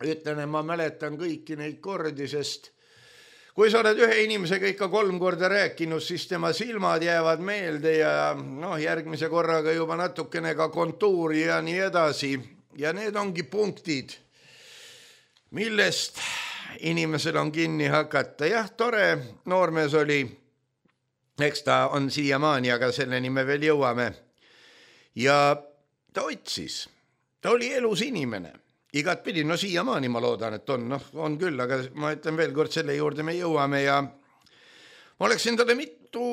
ütlen, ma mäletan kõiki neid kordi, sest kui sa oled ühe inimesega ikka 3 korda rääkinud, siis tema silmad jäävad meelde ja järgmise korraga juba natukene ka kontuuri ja nii edasi. Ja need ongi punktid, millest inimesel on kinni hakata. Jah, tore noormees oli, eks ta on siiamaani, aga selleni me veel jõuame. Ja ta otsis, ta oli elus inimene. Igat pidi, siiamaani ma loodan, et on küll, aga ma ütlen veel kord, selle juurde me jõuame ja ma oleksin talle mitu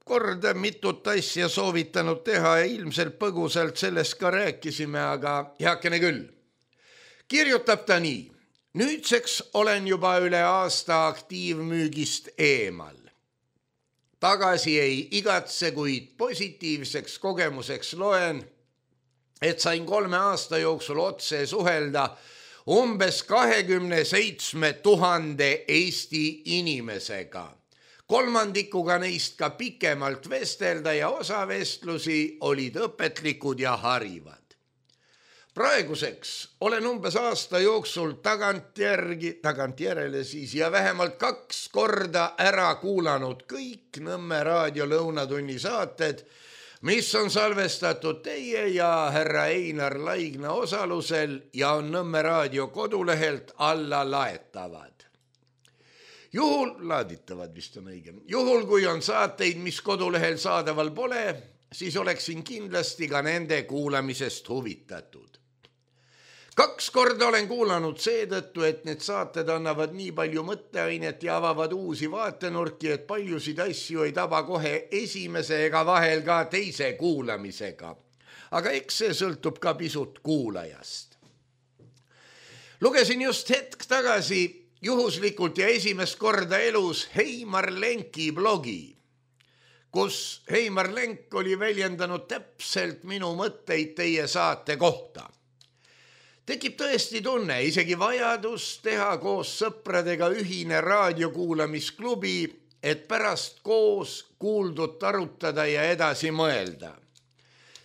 korda mitut asja soovitanud teha ja ilmselt põgusalt sellest ka rääkisime, aga heakene küll. Kirjutab ta nii. Nüüdseks olen juba üle aasta aktiivmüügist eemal. Tagasi ei igatse, kuid positiivseks kogemuseks loen, et sain 3 aasta jooksul otse suhelda umbes 27 000 Eesti inimesega. Kolmandikuga neist ka pikemalt vestelda ja osa vestlusi olid õpetlikud ja harivad. Praeguseks olen umbes aasta jooksul tagantjärele siis ja vähemalt 2 korda ära kuulanud kõik Nõmme raadio lõunatunni saated, mis on salvestatud teie ja härra Einar Laigna osalusel ja on Nõmme raadio kodulehelt alla laetavad. Laaditavad vist on õige. Juhul, kui on saateid, mis kodulehel saadaval pole, siis oleksin kindlasti ka nende kuulamisest huvitatud. 2 korda olen kuulanud seetõttu, et need saated annavad nii palju mõtteainet ja avavad uusi vaatenurki, et paljusid asju ei taba kohe esimese ega vahel ka teise kuulamisega. Aga eks see sõltub ka pisut kuulajast. Lugesin just hetk tagasi juhuslikult ja esimest korda elus Heimar Lenki blogi, kus Heimar Lenk oli väljendanud täpselt minu mõtteid teie saate kohta. Tekib tõesti tunne, isegi vajadus teha koos sõpradega ühine raadiokuulamisklubi, et pärast koos kuuldut arutada ja edasi mõelda.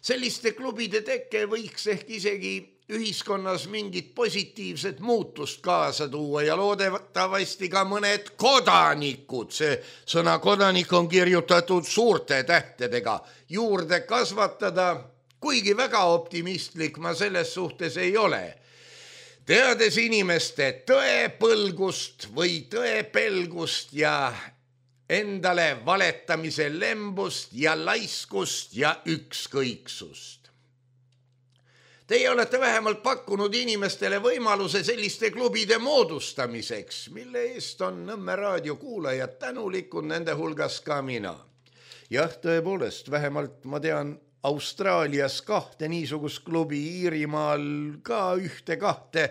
Selliste klubide teke võiks ehk isegi ühiskonnas mingit positiivset muutust kaasa tuua ja loodetavasti ka mõned kodanikud, see sõna kodanik on kirjutatud suurte tähtedega, juurde kasvatada, kuigi väga optimistlik ma selles suhtes ei ole. Teades inimeste tõepõlgust või tõepelgust ja endale valetamise lembust ja laiskust ja ükskõiksust. Teie olete vähemalt pakkunud inimestele võimaluse selliste klubide moodustamiseks, mille eest on Nõmme raadio kuulajad tänulikud, nende hulgas ka mina. Jah, tõepoolest, vähemalt ma tean Austraalias 2 niisugust klubi, Iirimaal ka 1-2.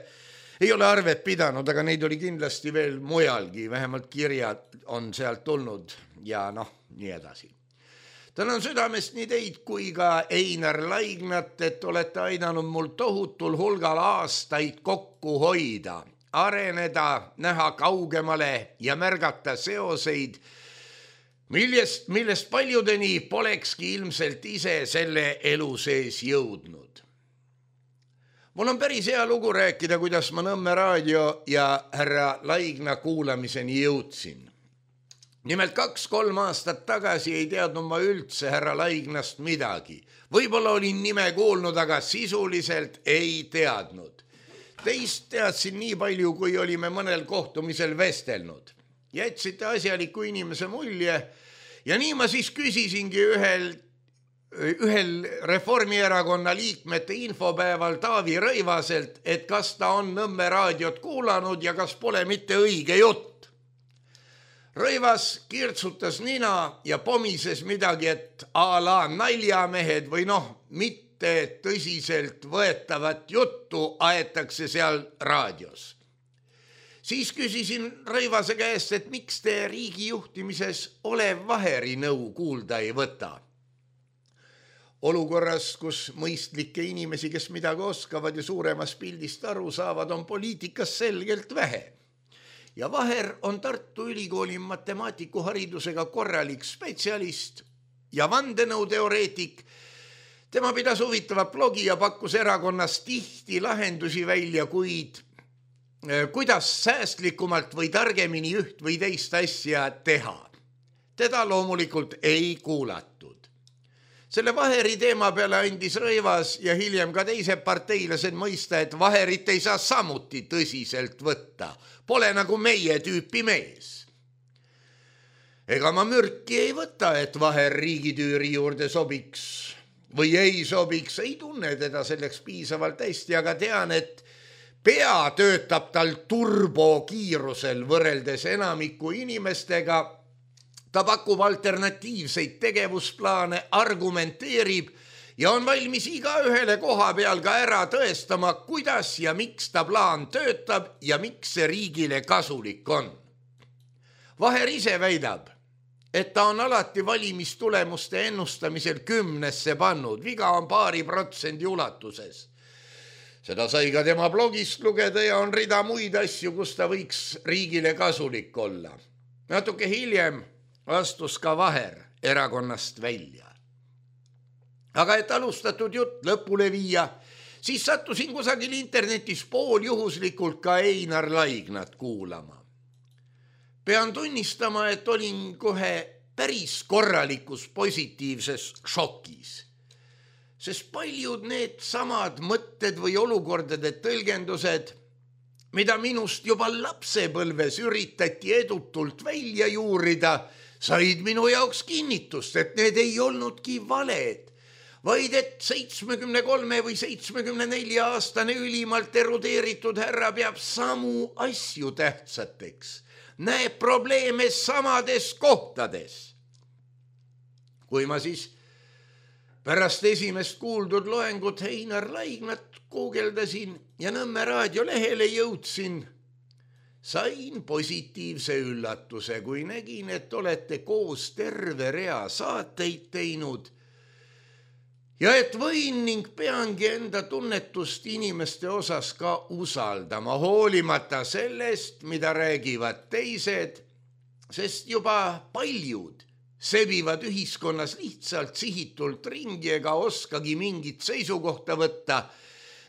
Ei ole arvet pidanud, aga neid oli kindlasti veel mujalgi, vähemalt kirjad on sealt tulnud ja nii edasi. Tänan südamest nii teid kui ka Einar Laignat, et olete aidanud mul tohutul hulgal aastaid kokku hoida, areneda, näha kaugemale ja märgata seoseid, millest paljudeni polekski ilmselt ise selle elu sees jõudnud. Mul on päris hea lugu rääkida, kuidas ma Nõmme raadio ja härra Laigna kuulamiseni jõudsin. Nimelt 2-3 aastat tagasi ei teadnud ma üldse härra Laignast midagi. Võib-olla olin nime kuulnud, aga sisuliselt ei teadnud. Teist teadsin nii palju, kui olime mõnel kohtumisel vestelnud. Jätsite asjaliku inimese mulje ja nii ma siis küsisingi ühel Reformierakonna liikmete infopäeval Taavi Rõivaselt, et kas ta on Nõmme raadiot kuulanud ja kas pole mitte õige jutt. Rõivas kirtsutas nina ja pomises midagi, et a la naljamehed või mitte tõsiselt võetavat juttu aetakse seal raadios. Siis küsisin Rõivase käest, et miks te riigi juhtimises Olev Vaheri nõu kuulda ei võta. Olukorras, kus mõistlikke inimesi, kes midagi oskavad ja suuremas pildist aru saavad, on poliitikas selgelt vähe. Ja Vaher on Tartu Ülikooli matemaatikuharidusega korralik spetsialist ja vandenõuteoreetik. Tema pidas huvitava blogi ja pakkus erakonnas tihti lahendusi välja, kuid kuidas säästlikumalt või targemini üht või teist asja teha. Teda loomulikult ei kuulatud. Selle Vaheri teema peale andis Rõivas ja hiljem ka teised parteilased mõista, et Vaherit ei saa samuti tõsiselt võtta. Pole nagu meie tüüpi mees. Ega ma mürki ei võta, et Vaher riigitüüri juurde sobiks või ei sobiks. Ei tunne teda selleks piisavalt hästi, aga tean, et pea töötab tal turbokiirusel võrreldes enamiku inimestega. Ta pakub alternatiivseid tegevusplaane, argumenteerib ja on valmis igaühele koha peal ka ära tõestama, kuidas ja miks ta plaan töötab ja miks see riigile kasulik on. Vaher ise väidab, et ta on alati valimistulemuste ennustamisel 10-sse pannud, viga on paari protsendi ulatuses. Seda sai ka tema blogist lugeda ja on rida muid asju, kus ta võiks riigile kasulik olla. Natuke hiljem astus ka Vaher erakonnast välja. Aga et alustatud jutt lõpule viia, siis sattusin kusagil internetis pooljuhuslikult ka Einar Laignat kuulama. Pean tunnistama, et olin kohe päris korralikus positiivses šokis, sest paljud need samad mõtted või olukordade tõlgendused, mida minust juba lapsepõlves üritati edutult välja juurida, said minu jaoks kinnitust, et need ei olnudki valed, vaid et 73 või 74 aastane ülimalt erudeeritud härra peab samu asju tähtsateks, näeb probleeme samades kohtades. Kui ma siis pärast esimest kuuldud loengut Einar Laignat guugeldasin ja Nõmme raadiolehele jõudsin, sain positiivse üllatuse, kui nägin, et olete koos terve rea saateid teinud ja et võin ning peangi enda tunnetust inimeste osas ka usaldama, hoolimata sellest, mida räägivad teised, sest juba paljud sebivad ühiskonnas lihtsalt sihitult ringi ega oskagi mingit seisukohta võtta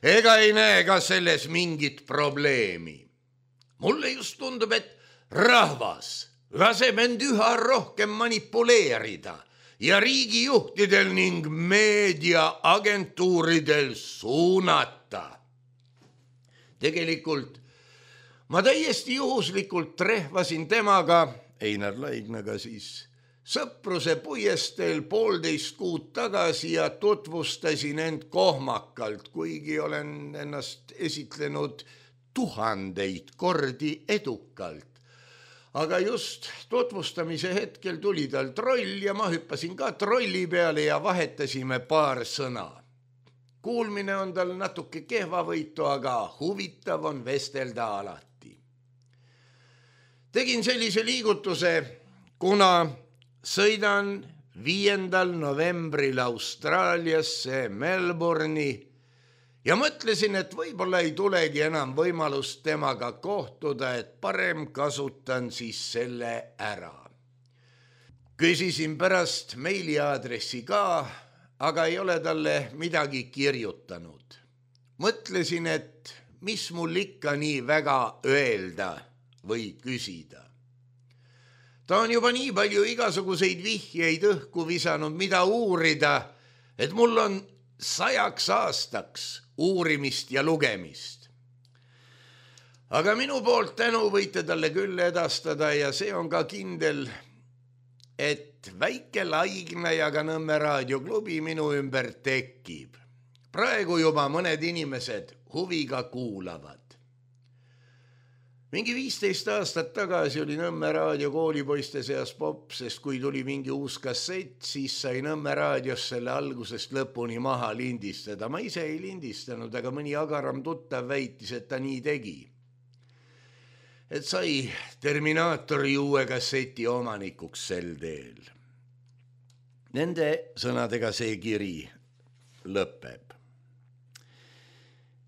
ega ei näe ka selles mingit probleemi. Mulle just tundub, et rahvas laseb end üha rohkem manipuleerida ja riigijuhtidel ning meediaagentuuridel suunata. Tegelikult ma täiesti juhuslikult trehvasin temaga, Einar Laignaga siis, sõpruse puiesteel 1,5 kuud tagasi ja tutvustasin end kohmakalt, kuigi olen ennast esitlenud 1000 kordi edukalt. Aga just tutvustamise hetkel tuli tal troll ja ma hüppasin ka trolli peale ja vahetasime paar sõna. Kuulmine on tal natuke kehvavõitu, aga huvitav on vestelda alati. Tegin sellise liigutuse, kuna sõidan 5. novembril Austraaliasse Melbourne'i ja mõtlesin, et võib-olla ei tulegi enam võimalust temaga kohtuda, et parem kasutan siis selle ära. Küsisin pärast meiliaadressi ka, aga ei ole talle midagi kirjutanud. Mõtlesin, et mis mul ikka nii väga öelda või küsida. Ta on juba nii palju igasuguseid vihjeid õhku visanud, mida uurida, et mul on 100 aastaks uurimist ja lugemist. Aga minu poolt tänu võite talle küll edastada ja see on ka kindel, et väike Laigna ja ka Nõmme raadioklubi minu ümber tekib. Praegu juba mõned inimesed huviga kuulavad. Mingi 15 aastat tagasi oli Nõmme raadio koolipoiste seas popp, sest kui tuli mingi uus kassett, siis sai Nõmme raadios selle algusest lõpuni maha lindistada. Ma ise ei lindistanud, aga mõni agaram tuttav väitis, et ta nii tegi. et sai Terminaatori uue kasseti omanikuks sel teel. Nende sõnadega see kiri lõpeb.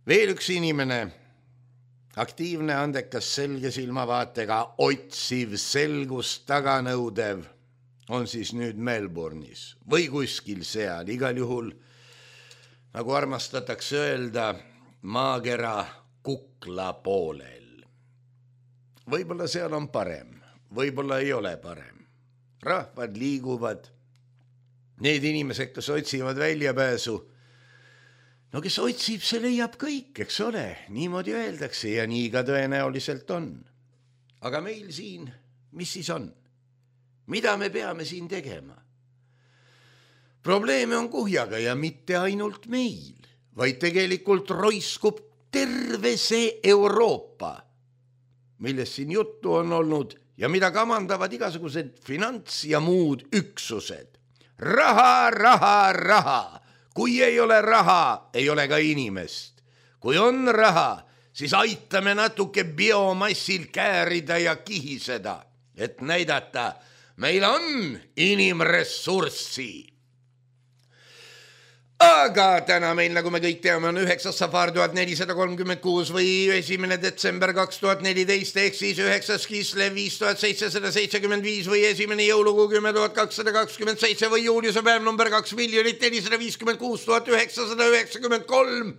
Veel üks inimene, aktiivne, andekas, selge silmavaatega, otsiv, selgust taganõudev, on siis nüüd Melbourne'is või kuskil seal, igal juhul, nagu armastatakse öelda, maakera kukla poolel. Võib-olla seal on parem, võib-olla ei ole parem. Rahvad liiguvad, need inimesed, kes otsivad väljapääsu, no kes otsib, see leiab kõik, eks ole, niimoodi öeldakse ja nii ka tõenäoliselt on. Aga meil siin, mis siis on? Mida me peame siin tegema? Probleeme on kuhjaga ja mitte ainult meil, vaid tegelikult roiskub terve see Euroopa, millest siin juttu on olnud ja mida kamandavad igasugused finants ja muud üksused. Raha, raha, raha. Kui ei ole raha, ei ole ka inimest. Kui on raha, siis aitame natuke biomassil käärida ja kihiseda, et näidata, meil on inimressurssi. Aga täna meil, nagu me kõik teame, on 9. safar 1436 või 1. detsember 2014 ehk siis 9. Kislev 5775 või 1. jõulukuu 10227 või juuliuse päev number 2 456 993.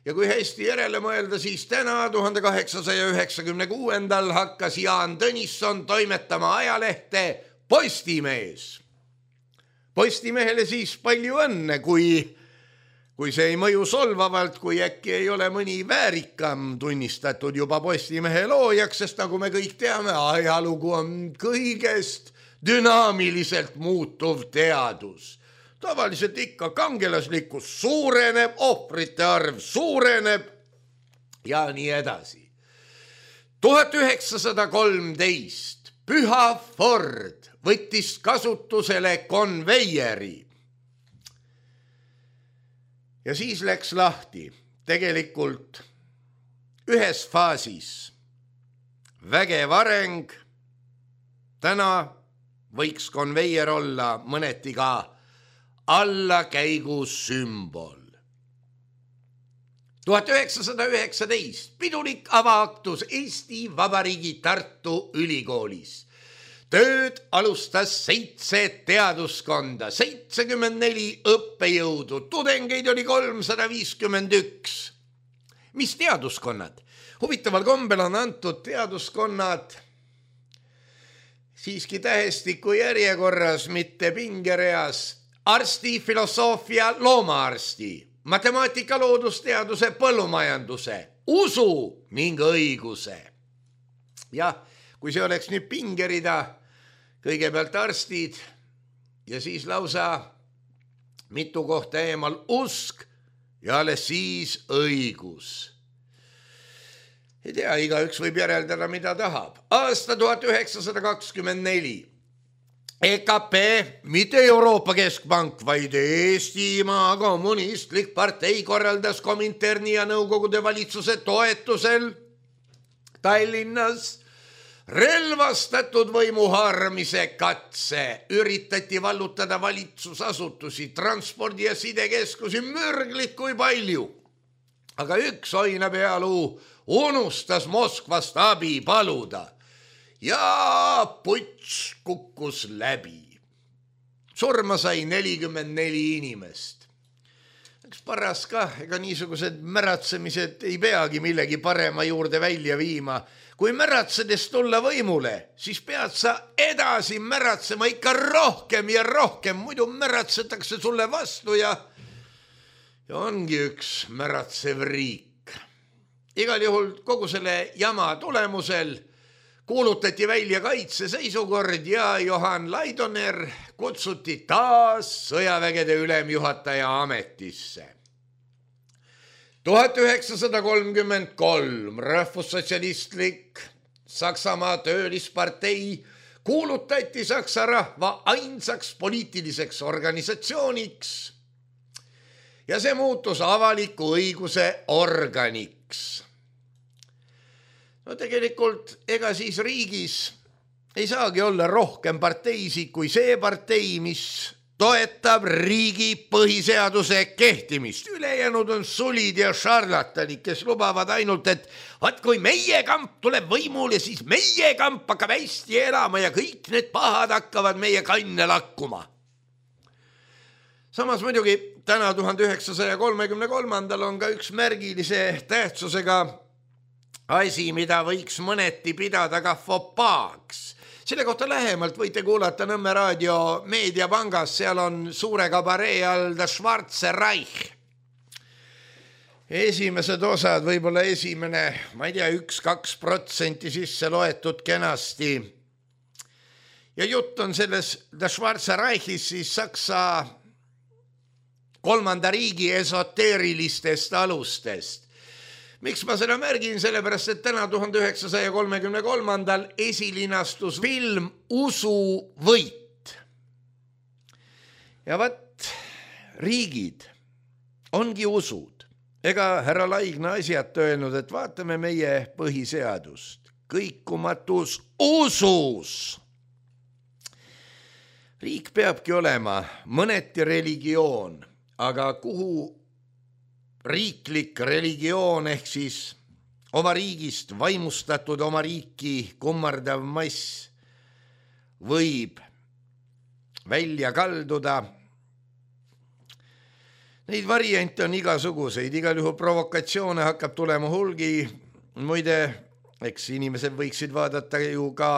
Ja kui hästi järele mõelda, siis täna 1896. hakkas Jaan Tõnisson toimetama ajalehte Postimees. Postimehele siis palju õnne, kui see ei mõju solvavalt, kui äkki ei ole mõni väärikam tunnistatud juba Postimehe loojaks, sest nagu me kõik teame, ajalugu on kõigest dünaamiliselt muutuv teadus. Tavaliselt ikka kangelaslikkus suureneb, ohvrite arv suureneb ja nii edasi. 1913 Püha Ford võttis kasutusele konveieri. Ja siis läks lahti tegelikult ühes faasis vägev areng. Täna võiks konveier olla mõneti ka allakäigu sümbol. 1919 pidulik avaaktus Eesti Vabariigi Tartu Ülikoolis. Tööd alustas 7 teaduskonda, 74 õppejõudu, tudengeid oli 351. Mis teaduskonnad? Huvitaval kombel on antud teaduskonnad siiski tähestiku järjekorras, mitte pingereas. Arsti, filosoofia, loomaarsti, matemaatika, loodusteaduse, põllumajanduse, usu ning õiguse. Jah, kui see oleks nüüd pingerida, kõigepealt arstid ja siis lausa mitu kohta eemal usk ja alles siis õigus. Ei tea, igaüks võib järeldada, mida tahab. Aasta 1924. EKP, mitte Euroopa Keskpank, vaid Eestimaa Kommunistlik Partei korraldas Kominterni ja Nõukogude valitsuse toetusel Tallinnas relvastatud võimu haaramise katse. Üritati vallutada valitsusasutusi, transpordi- ja sidekeskusi mürglit kui palju. Aga üks oinapealuu unustas Moskvast abi paluda ja puts kukkus läbi. Surma sai 44 inimest. Eks paras ka, ega niisugused märatsemised ei peagi millegi parema juurde välja viima. Kui märatsedes tulla võimule, siis pead sa edasi märatsema ikka rohkem ja rohkem, muidu märatsetakse sulle vastu ja ongi üks märatsev riik. Igal juhul kogu selle jama tulemusel kuulutati välja kaitseseisukord ja Johan Laidoner kutsuti taas sõjavägede ülemjuhataja ametisse. 1933 rahvussotsialistlik Saksamaa töölispartei kuulutati Saksa rahva ainsaks poliitiliseks organisatsiooniks ja see muutus avaliku õiguse organiks. No tegelikult ega siis riigis ei saagi olla rohkem parteisid kui see partei, mis toetab riigi põhiseaduse kehtimist. Ülejäänud on sulid ja šarlatanid, kes lubavad ainult, et vaat kui meie kamp tuleb võimule, siis meie kamp hakkab hästi elama ja kõik need pahad hakkavad meie kanne lakkuma. Samas muidugi täna 1933 on ka üks märgilise tähtsusega asi, mida võiks mõneti pidada ka fopaaks. Selle kohta lähemalt võite kuulata Nõmme raadio meediapangas, seal on suure kabaree all The Schwarze Reich. Esimesed osad, võib-olla esimene, ma ei tea, 1-2% sisse loetud kenasti. Ja jutt on selles The Schwarze Reichis siis Saksa kolmanda riigi esoteerilistest alustest. Miks ma seda märgin? Sellepärast, et täna 1933 esilinastus film Usuvõit. Ja vaat riigid ongi usud. Ega härra Laigna asjad öelnud, et vaatame meie põhiseadust. Kõikumatus usus. Riik peabki olema mõneti religioon, aga kuhu riiklik religioon ehk siis oma riigist vaimustatud oma riiki kummardav mass võib välja kalduda. Neid variante on igasuguseid, igal juhul provokatsioone hakkab tulema hulgi. Muide, eks inimesed võiksid vaadata ju ka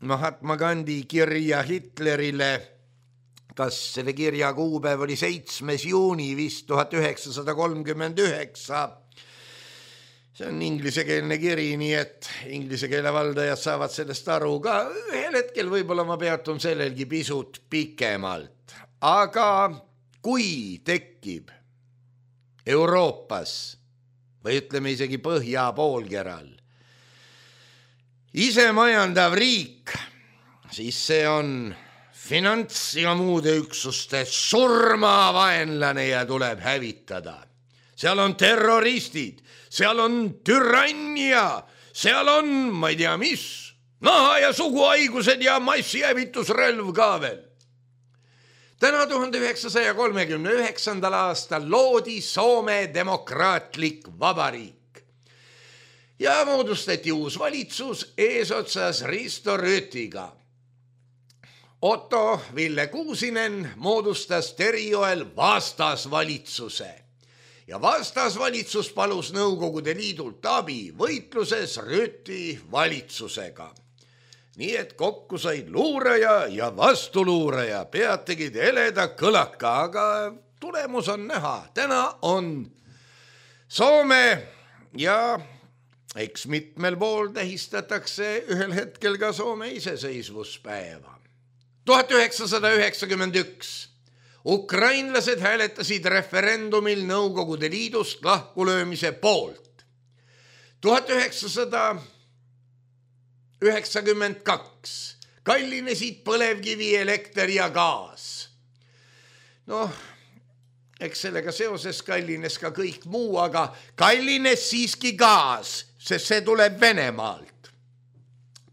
Mahatma Gandhi kirja Hitlerile. Kas selle kirja kuupäev oli 7. juuni vist 1939. See on inglisekeelne kiri, nii et inglise keele valdajad saavad sellest aru ka. Ühel hetkel võib-olla ma peatun sellelgi pisut pikemalt. Aga kui tekib Euroopas või ütleme isegi Põhja poolkeral isemajandav riik, siis see on finants ja muude üksuste surmavaenlane ja tuleb hävitada. Seal on terroristid, seal on türannia, seal on, ma ei tea mis, naha- ja suguhaigused ja massihävitusrelv ka veel. Täna 1939. aastal loodi Soome demokraatlik vabariik ja moodustati uus valitsus eesotsas Risto Rüütiga. Otto Ville Kuusinen moodustas Terijoel vastasvalitsuse ja vastasvalitsus palus Nõukogude Liidult abi võitluses Rüüti valitsusega. Nii et kokku said luuraja ja vastuluuraja, pead tegid heleda kõlaka, aga tulemus on näha. Täna on Soome ja eks mitmel pool tähistatakse ühel hetkel ka Soome iseseisvuspäeva. 1991 ukrainlased hääletasid referendumil Nõukogude Liidust lahkulöömise poolt. 1992 kallinesid põlevkivi, elekter ja gaas. Noh, eks sellega seoses kallines ka kõik muu, aga kallines siiski gaas, sest see tuleb Venemaalt.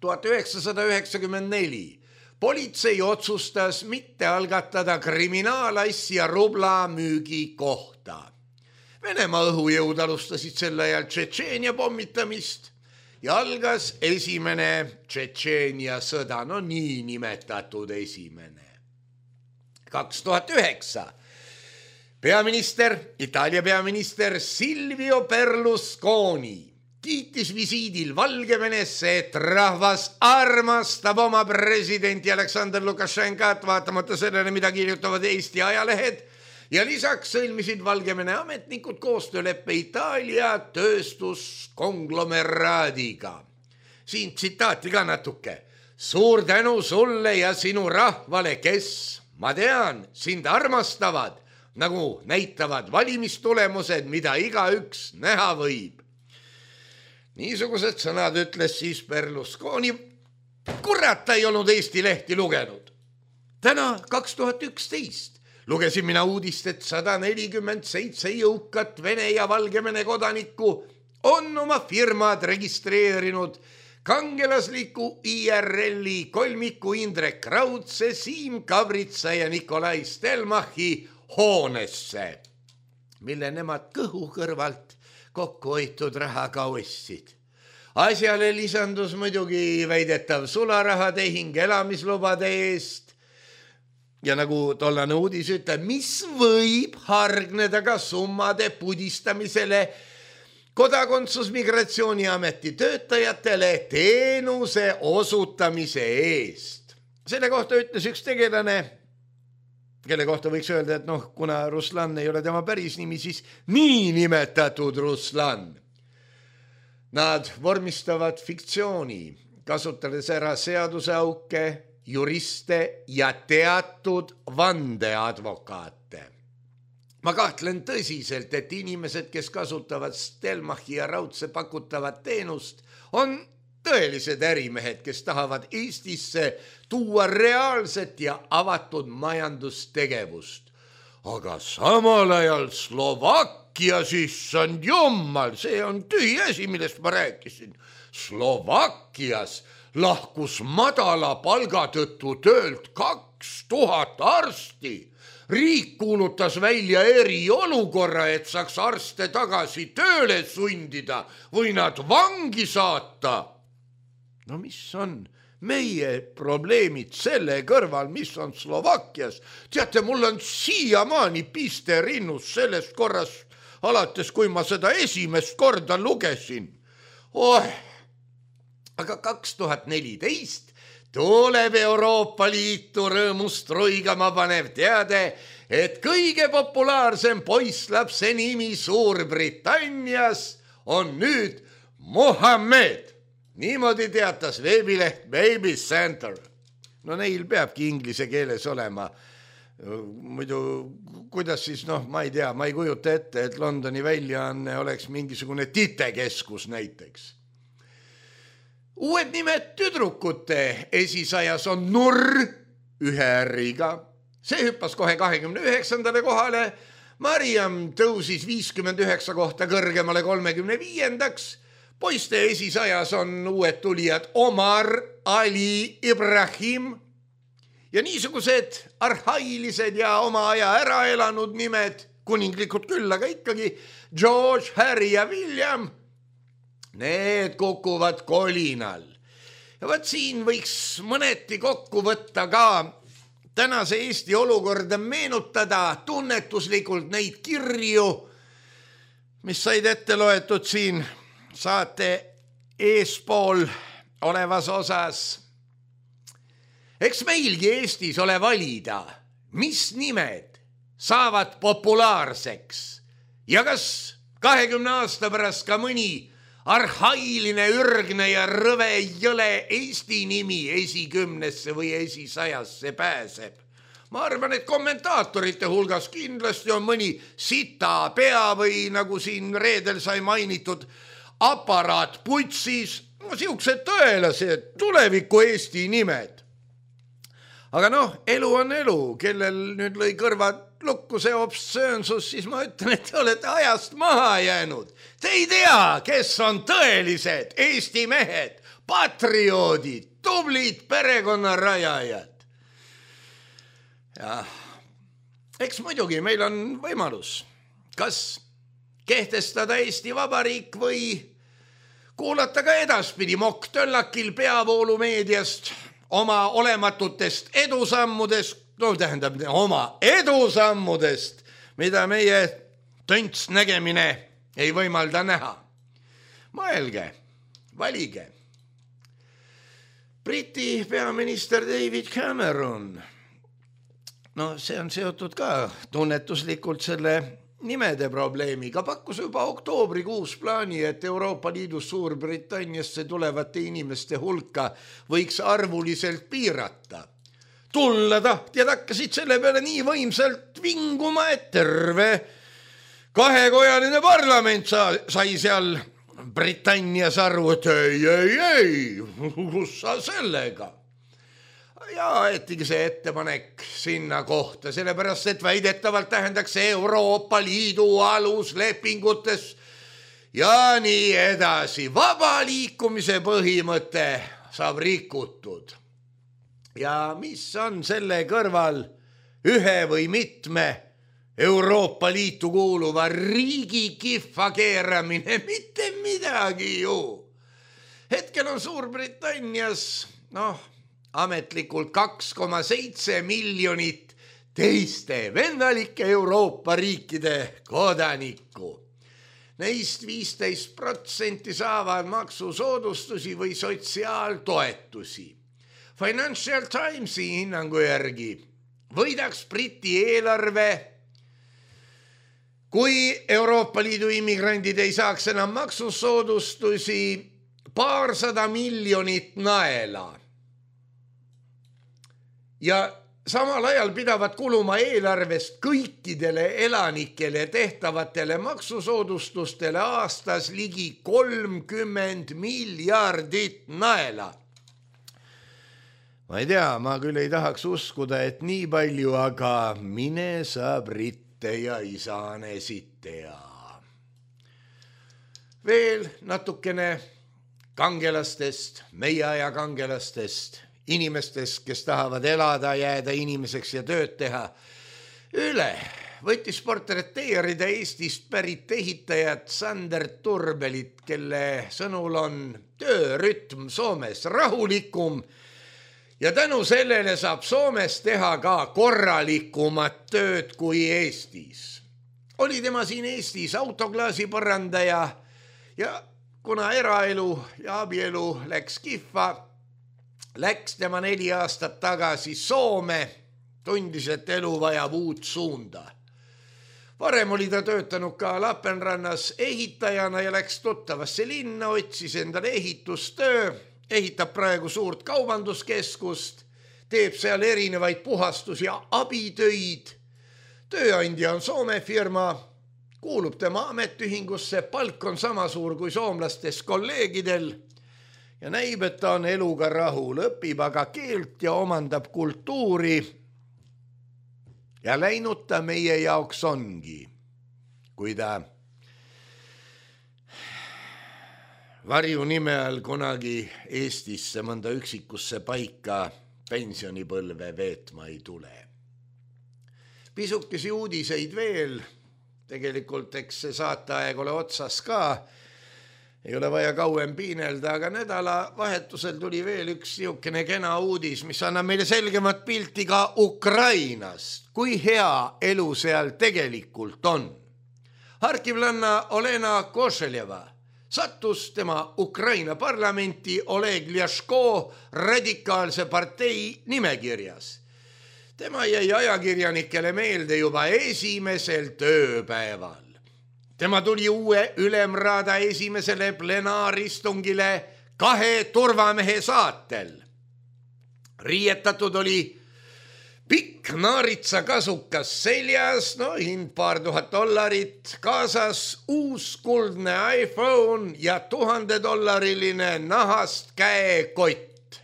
1994 politsei otsustas mitte algatada kriminaalasja rubla müügi kohta. Venemaa õhujõud alustasid sel ajal Tšetšeenia pommitamist ja algas esimene Tšetšeenia sõda, no nii nimetatud esimene. 2009 Itaalia peaminister Silvio Berlusconi kiitis visiidil Valgevenesse, et rahvas armastab oma presidenti Aleksandr Lukašenkat, vaatamata sellele, mida kirjutavad Eesti ajalehed, ja lisaks sõlmisid Valgevene ametnikud koostööleppe Itaalia tööstuskonglomeraadiga. Siin tsitaati ka natuke. Suur tänu sulle ja sinu rahvale, kes, ma tean, sind armastavad, nagu näitavad valimistulemused, mida igaüks näha võib. Niisugused sõnad ütles siis Berlusconi. Kurat, ta ei olnud Eesti lehti lugenud. Täna 2011 lugesin mina uudist, et 147 jõukat Vene ja Valgevene kodanikku on oma firmad registreerinud kangelasliku IRL-i kolmiku Indrek Raudse, Siim Kavritsa ja Nikolai Stelmachi hoonesse, mille nemad kõhu kõrvalt kokkuhoitud rahaga ostsid. Asjale lisandus muidugi väidetav sularahatehing elamislubade eest ja nagu tollane uudis ütleb, mis võib hargneda ka summade pudistamisele Kodakondsusmigratsiooniameti töötajatele teenuse osutamise eest. Selle kohta ütles üks tegelane, kelle kohta võiks öelda, et kuna Ruslan ei ole tema päris nimi, siis niinimetatud Ruslan. Nad vormistavad fiktsiooni, kasutades ära seaduseauke, juriste ja teatud vandeadvokaate. Ma kahtlen tõsiselt, et inimesed, kes kasutavad Stelmachi ja Raudse pakutavat teenust, on tõelised ärimehed, kes tahavad Eestisse tuua reaalset ja avatud majandustegevust. Aga samal ajal Slovakkias, issand jummal, see on tühi asi, millest ma rääkisin. Slovakkias lahkus madala palga tõttu töölt 2000 arsti. Riik kuulutas välja eriolukorra, et saaks arste tagasi tööle sundida või nad vangi saata. No mis on meie probleemid selle kõrval, mis on Slovakkias? Teate, mul on siiamaani piste rinnus sellest korrast, alates kui ma seda esimest korda lugesin. Aga 2014 tuleb Euroopa Liitu rõõmust roigama panev teade, et kõige populaarsem poisslapse nimi Suurbritannias on nüüd Mohammed. Niimoodi teatas veebileht Baby Center. No neil peabki inglise keeles olema. Muidu, kuidas siis, ma ei tea, ma ei kujuta ette, et Londoni väljaanne oleks mingisugune titekeskus näiteks. Uued nimed tüdrukute esisajas on Nurr 1 R-iga. See hüppas kohe 29. kohale. Mariam tõusis 59 kohta kõrgemale 35. Poiste esisajas on uued tulijad Omar, Ali, Ibrahim ja niisugused arhailised ja oma aja ära elanud nimed, kuninglikud küll, aga ikkagi George, Harry ja William. Need kukuvad kolinal. Ja võt siin võiks mõneti kokku võtta ka tänase Eesti olukorda, meenutada tunnetuslikult neid kirju, mis said ette loetud siin saate eespool olevas osas. Eks meilgi Eestis ole valida, mis nimed saavad populaarseks ja kas 20 aasta pärast ka mõni arhailine, ürgne ja rõve jõle Eesti nimi esikümnesse või esisajasse pääseb. Ma arvan, et kommentaatorite hulgas kindlasti on mõni sita pea või nagu siin reedel sai mainitud aparaat putsis, siuksed tõelased tuleviku Eesti nimed. Aga elu on elu, kellel nüüd lõi kõrvad lukku see obsöönsus, siis ma ütlen, et te olete ajast maha jäänud. Te ei tea, kes on tõelised Eesti mehed, patrioodid, tublid perekonnarajajad. Ja eks muidugi meil on võimalus, kas kehtestada Eesti Vabariik või kuulata ka edaspidi Mokk Töllakil peavoolumeediast oma olematutest edusammudest, oma edusammudest, mida meie tönts nägemine ei võimalda näha. Mõelge, valige. Briti peaminister David Cameron, see on seotud ka tunnetuslikult selle nimede probleemiga, pakkus juba oktoobrikuus plaani, et Euroopa Liidus Suurbritanniasse tulevate inimeste hulka võiks arvuliselt piirata. Tulla tahtjad hakkasid selle peale nii võimsalt vinguma, et terve kahekojaline parlament sai seal Britannias aru, et ei, kus sa sellega? Ja aetigi see ettepanek sinna kohta, sellepärast, et väidetavalt tähendaks Euroopa Liidu aluslepingutes ja nii edasi. Vaba liikumise põhimõte saab rikutud. Ja mis on selle kõrval ühe või mitme Euroopa Liitu kuuluva riigi kihva keeramine, mitte midagi ju. Hetkel on Suurbritannias, ametlikult 2,7 miljonit teiste võimalike Euroopa riikide kodanikku. Neist 15% saavad maksusoodustusi või sotsiaaltoetusi. Financial Timesi hinnangu järgi võidaks Briti eelarve, kui Euroopa Liidu immigrandid ei saaks enam maksusoodustusi, 200 miljonit naela. Ja samal ajal pidavad kuluma eelarvest kõikidele elanikele tehtavatele maksusoodustustele aastas ligi 30 miljardit naela. Ma ei tea, ma küll ei tahaks uskuda, et nii palju, aga mine sa britte ja isane sitea. Veel natukene kangelastest, meie aja kangelastest, inimestest, kes tahavad elada, jääda inimeseks ja tööd teha. Üle võttis portreteerida Eestist pärit ehitajat Sander Turbelit, kelle sõnul on töörütm Soomes rahulikum ja tänu sellele saab Soomes teha ka korralikumat tööd kui Eestis. Oli tema siin Eestis autoklaasi põrandaja ja kuna eraelu ja abielu läks kihva, läks tema 4 aastat tagasi Soome, tundis, et elu vajab uut suunda. Varem oli ta töötanud ka Lapenrannas ehitajana ja läks tuttavasse linna, otsis endale ehitustöö, ehitab praegu suurt kaubanduskeskust, teeb seal erinevaid puhastus- ja abitöid. Tööandja on Soome firma, kuulub tema ametiühingusse, palk on sama suur kui soomlastes kolleegidel ja näib, et ta on eluga rahul, õpib aga keelt ja omandab kultuuri. Ja läinud ta meie jaoks ongi, kui ta varju nime all kunagi Eestisse mõnda üksikusse paika pensionipõlve veetma ei tule. Pisukesi uudiseid veel, tegelikult eks see saateaeg ole otsas ka, ei ole vaja kauem piinelda, aga nädalavahetusel tuli veel üks niisugune kena uudis, mis annab meile selgemat pilti ka Ukrainast, kui hea elu seal tegelikult on. Harkivlanna Olena Košeljeva sattus tema Ukraina parlamenti Oleg Ljaško radikaalse partei nimekirjas. Tema jäi ajakirjanikele meelde juba esimesel tööpäeval. Tema tuli uue ülemraada esimesele plenaaristungile 2 turvamehe saatel. Riietatud oli pikk naaritsakasukas seljas, hind $2,000, kaasas uus kuldne iPhone ja $1000 nahast käekott,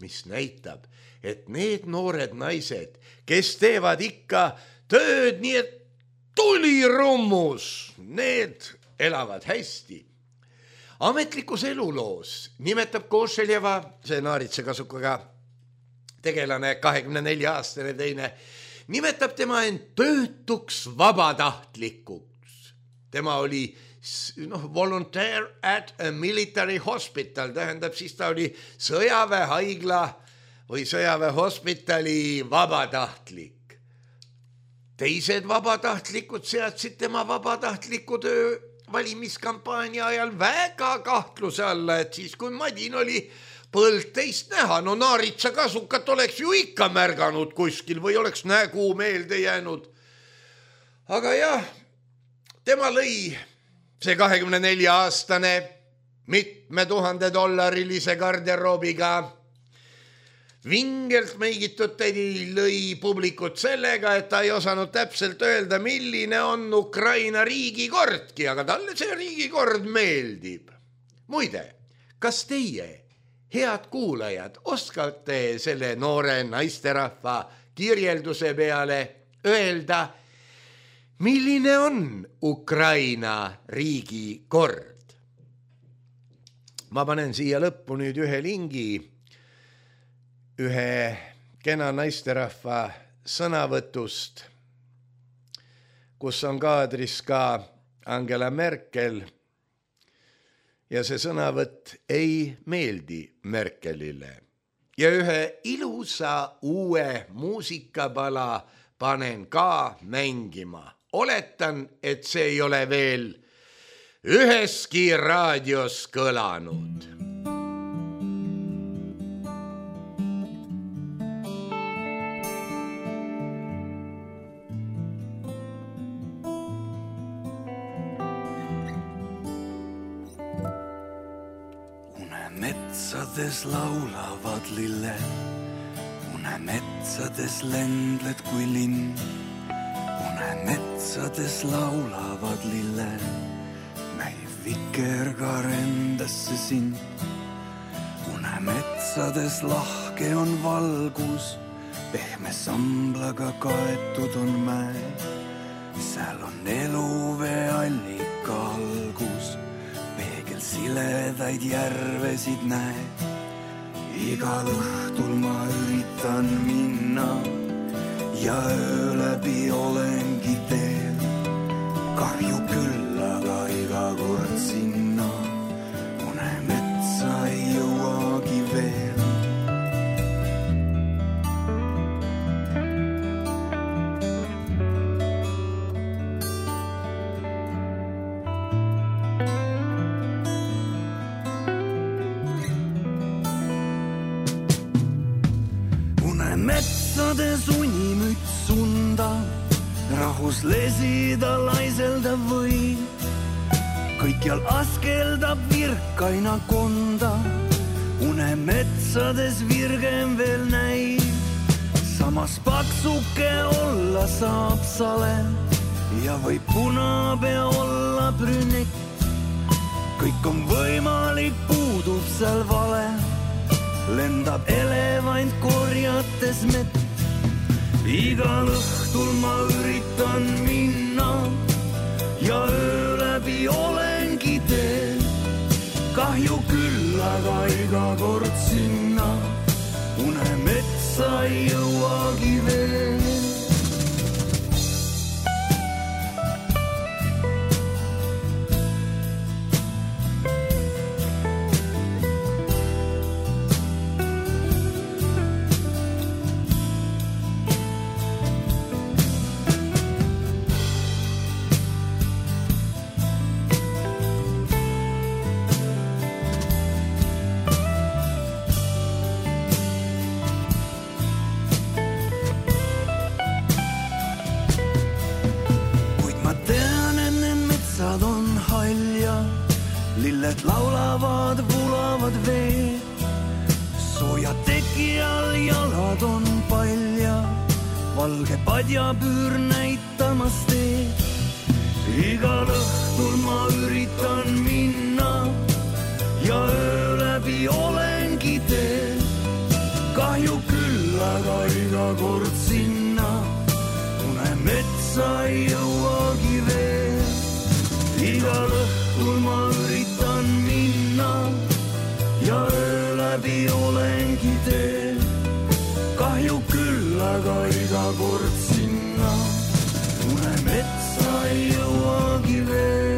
mis näitab, et need noored naised, kes teevad ikka tööd nii, et tulirummus, need elavad hästi. Ametlikus eluloos nimetab Košeljeva, see naaritsakasukaga tegelane, 24-aastane teine, nimetab tema end töötuks vabatahtlikuks. Tema oli volunteer at a military hospital, tähendab siis ta oli sõjaväehaigla või sõjaväehospitali vabatahtlik. Teised vabatahtlikud seadsid tema vabatahtliku töö valimiskampaania ajal väga kahtluse alla, et siis kui Madin oli põld teist näha, naaritsakasukat oleks ju ikka märganud kuskil või oleks nägu meelde jäänud. Aga jah, tema lõi see 24-aastane mitme $1000 garderoobiga vingelt meigitud tädi lõi publikut sellega, et ta ei osanud täpselt öelda, milline on Ukraina riigikordki, aga talle see riigikord meeldib. Muide, kas teie, head kuulajad, oskate selle noore naisterahva kirjelduse peale öelda, milline on Ukraina riigi kord? Ma panen siia lõppu nüüd ühe lingi, ühe kena naisterahva sõnavõtust, kus on kaadris ka Angela Merkel ja see sõnavõtt ei meeldi Merkelile. Ja ühe ilusa uue muusikapala panen ka mängima. Oletan, et see ei ole veel üheski raadios kõlanud. Metsades laulavad lille, unemetsades lendled kui linn. Unemetsades laulavad lille, näib vikerkaar endasse sind. Unemetsades lahke on valgus, pehme samblaga kaetud on mäe. Seal on eluvee allika algus, peegel siledaid järvesid näed. Igal õhtul ma üritan minna ja öö läbi olengi teel. Kahju küll, aga iga kord sinna unemetsa ei jõuagi veel. Metsades unimüts sunda, rahus lesida laiselda või. Kõikjal askeldab virkaina konda, unemetsades virgem veel näib. Samas paksuke olla saab sale ja või punapea olla brünett. Kõik on võimalik, puudub seal vale. Lendab elevant korjates mett. Igal õhtul ma üritan minna ja öö läbi olengi teel. Kahju küll, aga iga kord sinna unemetsa ei jõuagi veel. Lilled laulavad, vulavad vee. Sooja teki all jalad on palja, valge padjapüür näitamas teed. Igal õhtul ma üritan minna ja öö läbi olengi teel. Kahju küll, aga iga kord sinna unemetsa ei jõuagi veel. Igal õhtul ma üritan minna ja öö läbi olengi teel. Kahju küll, aga iga kord sinna unemetsa ei jõuagi veel.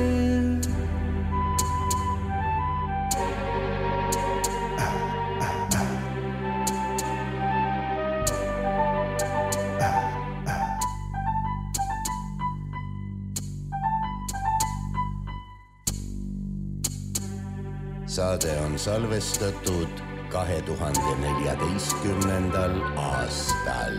Saade on salvestatud 2014. aastal.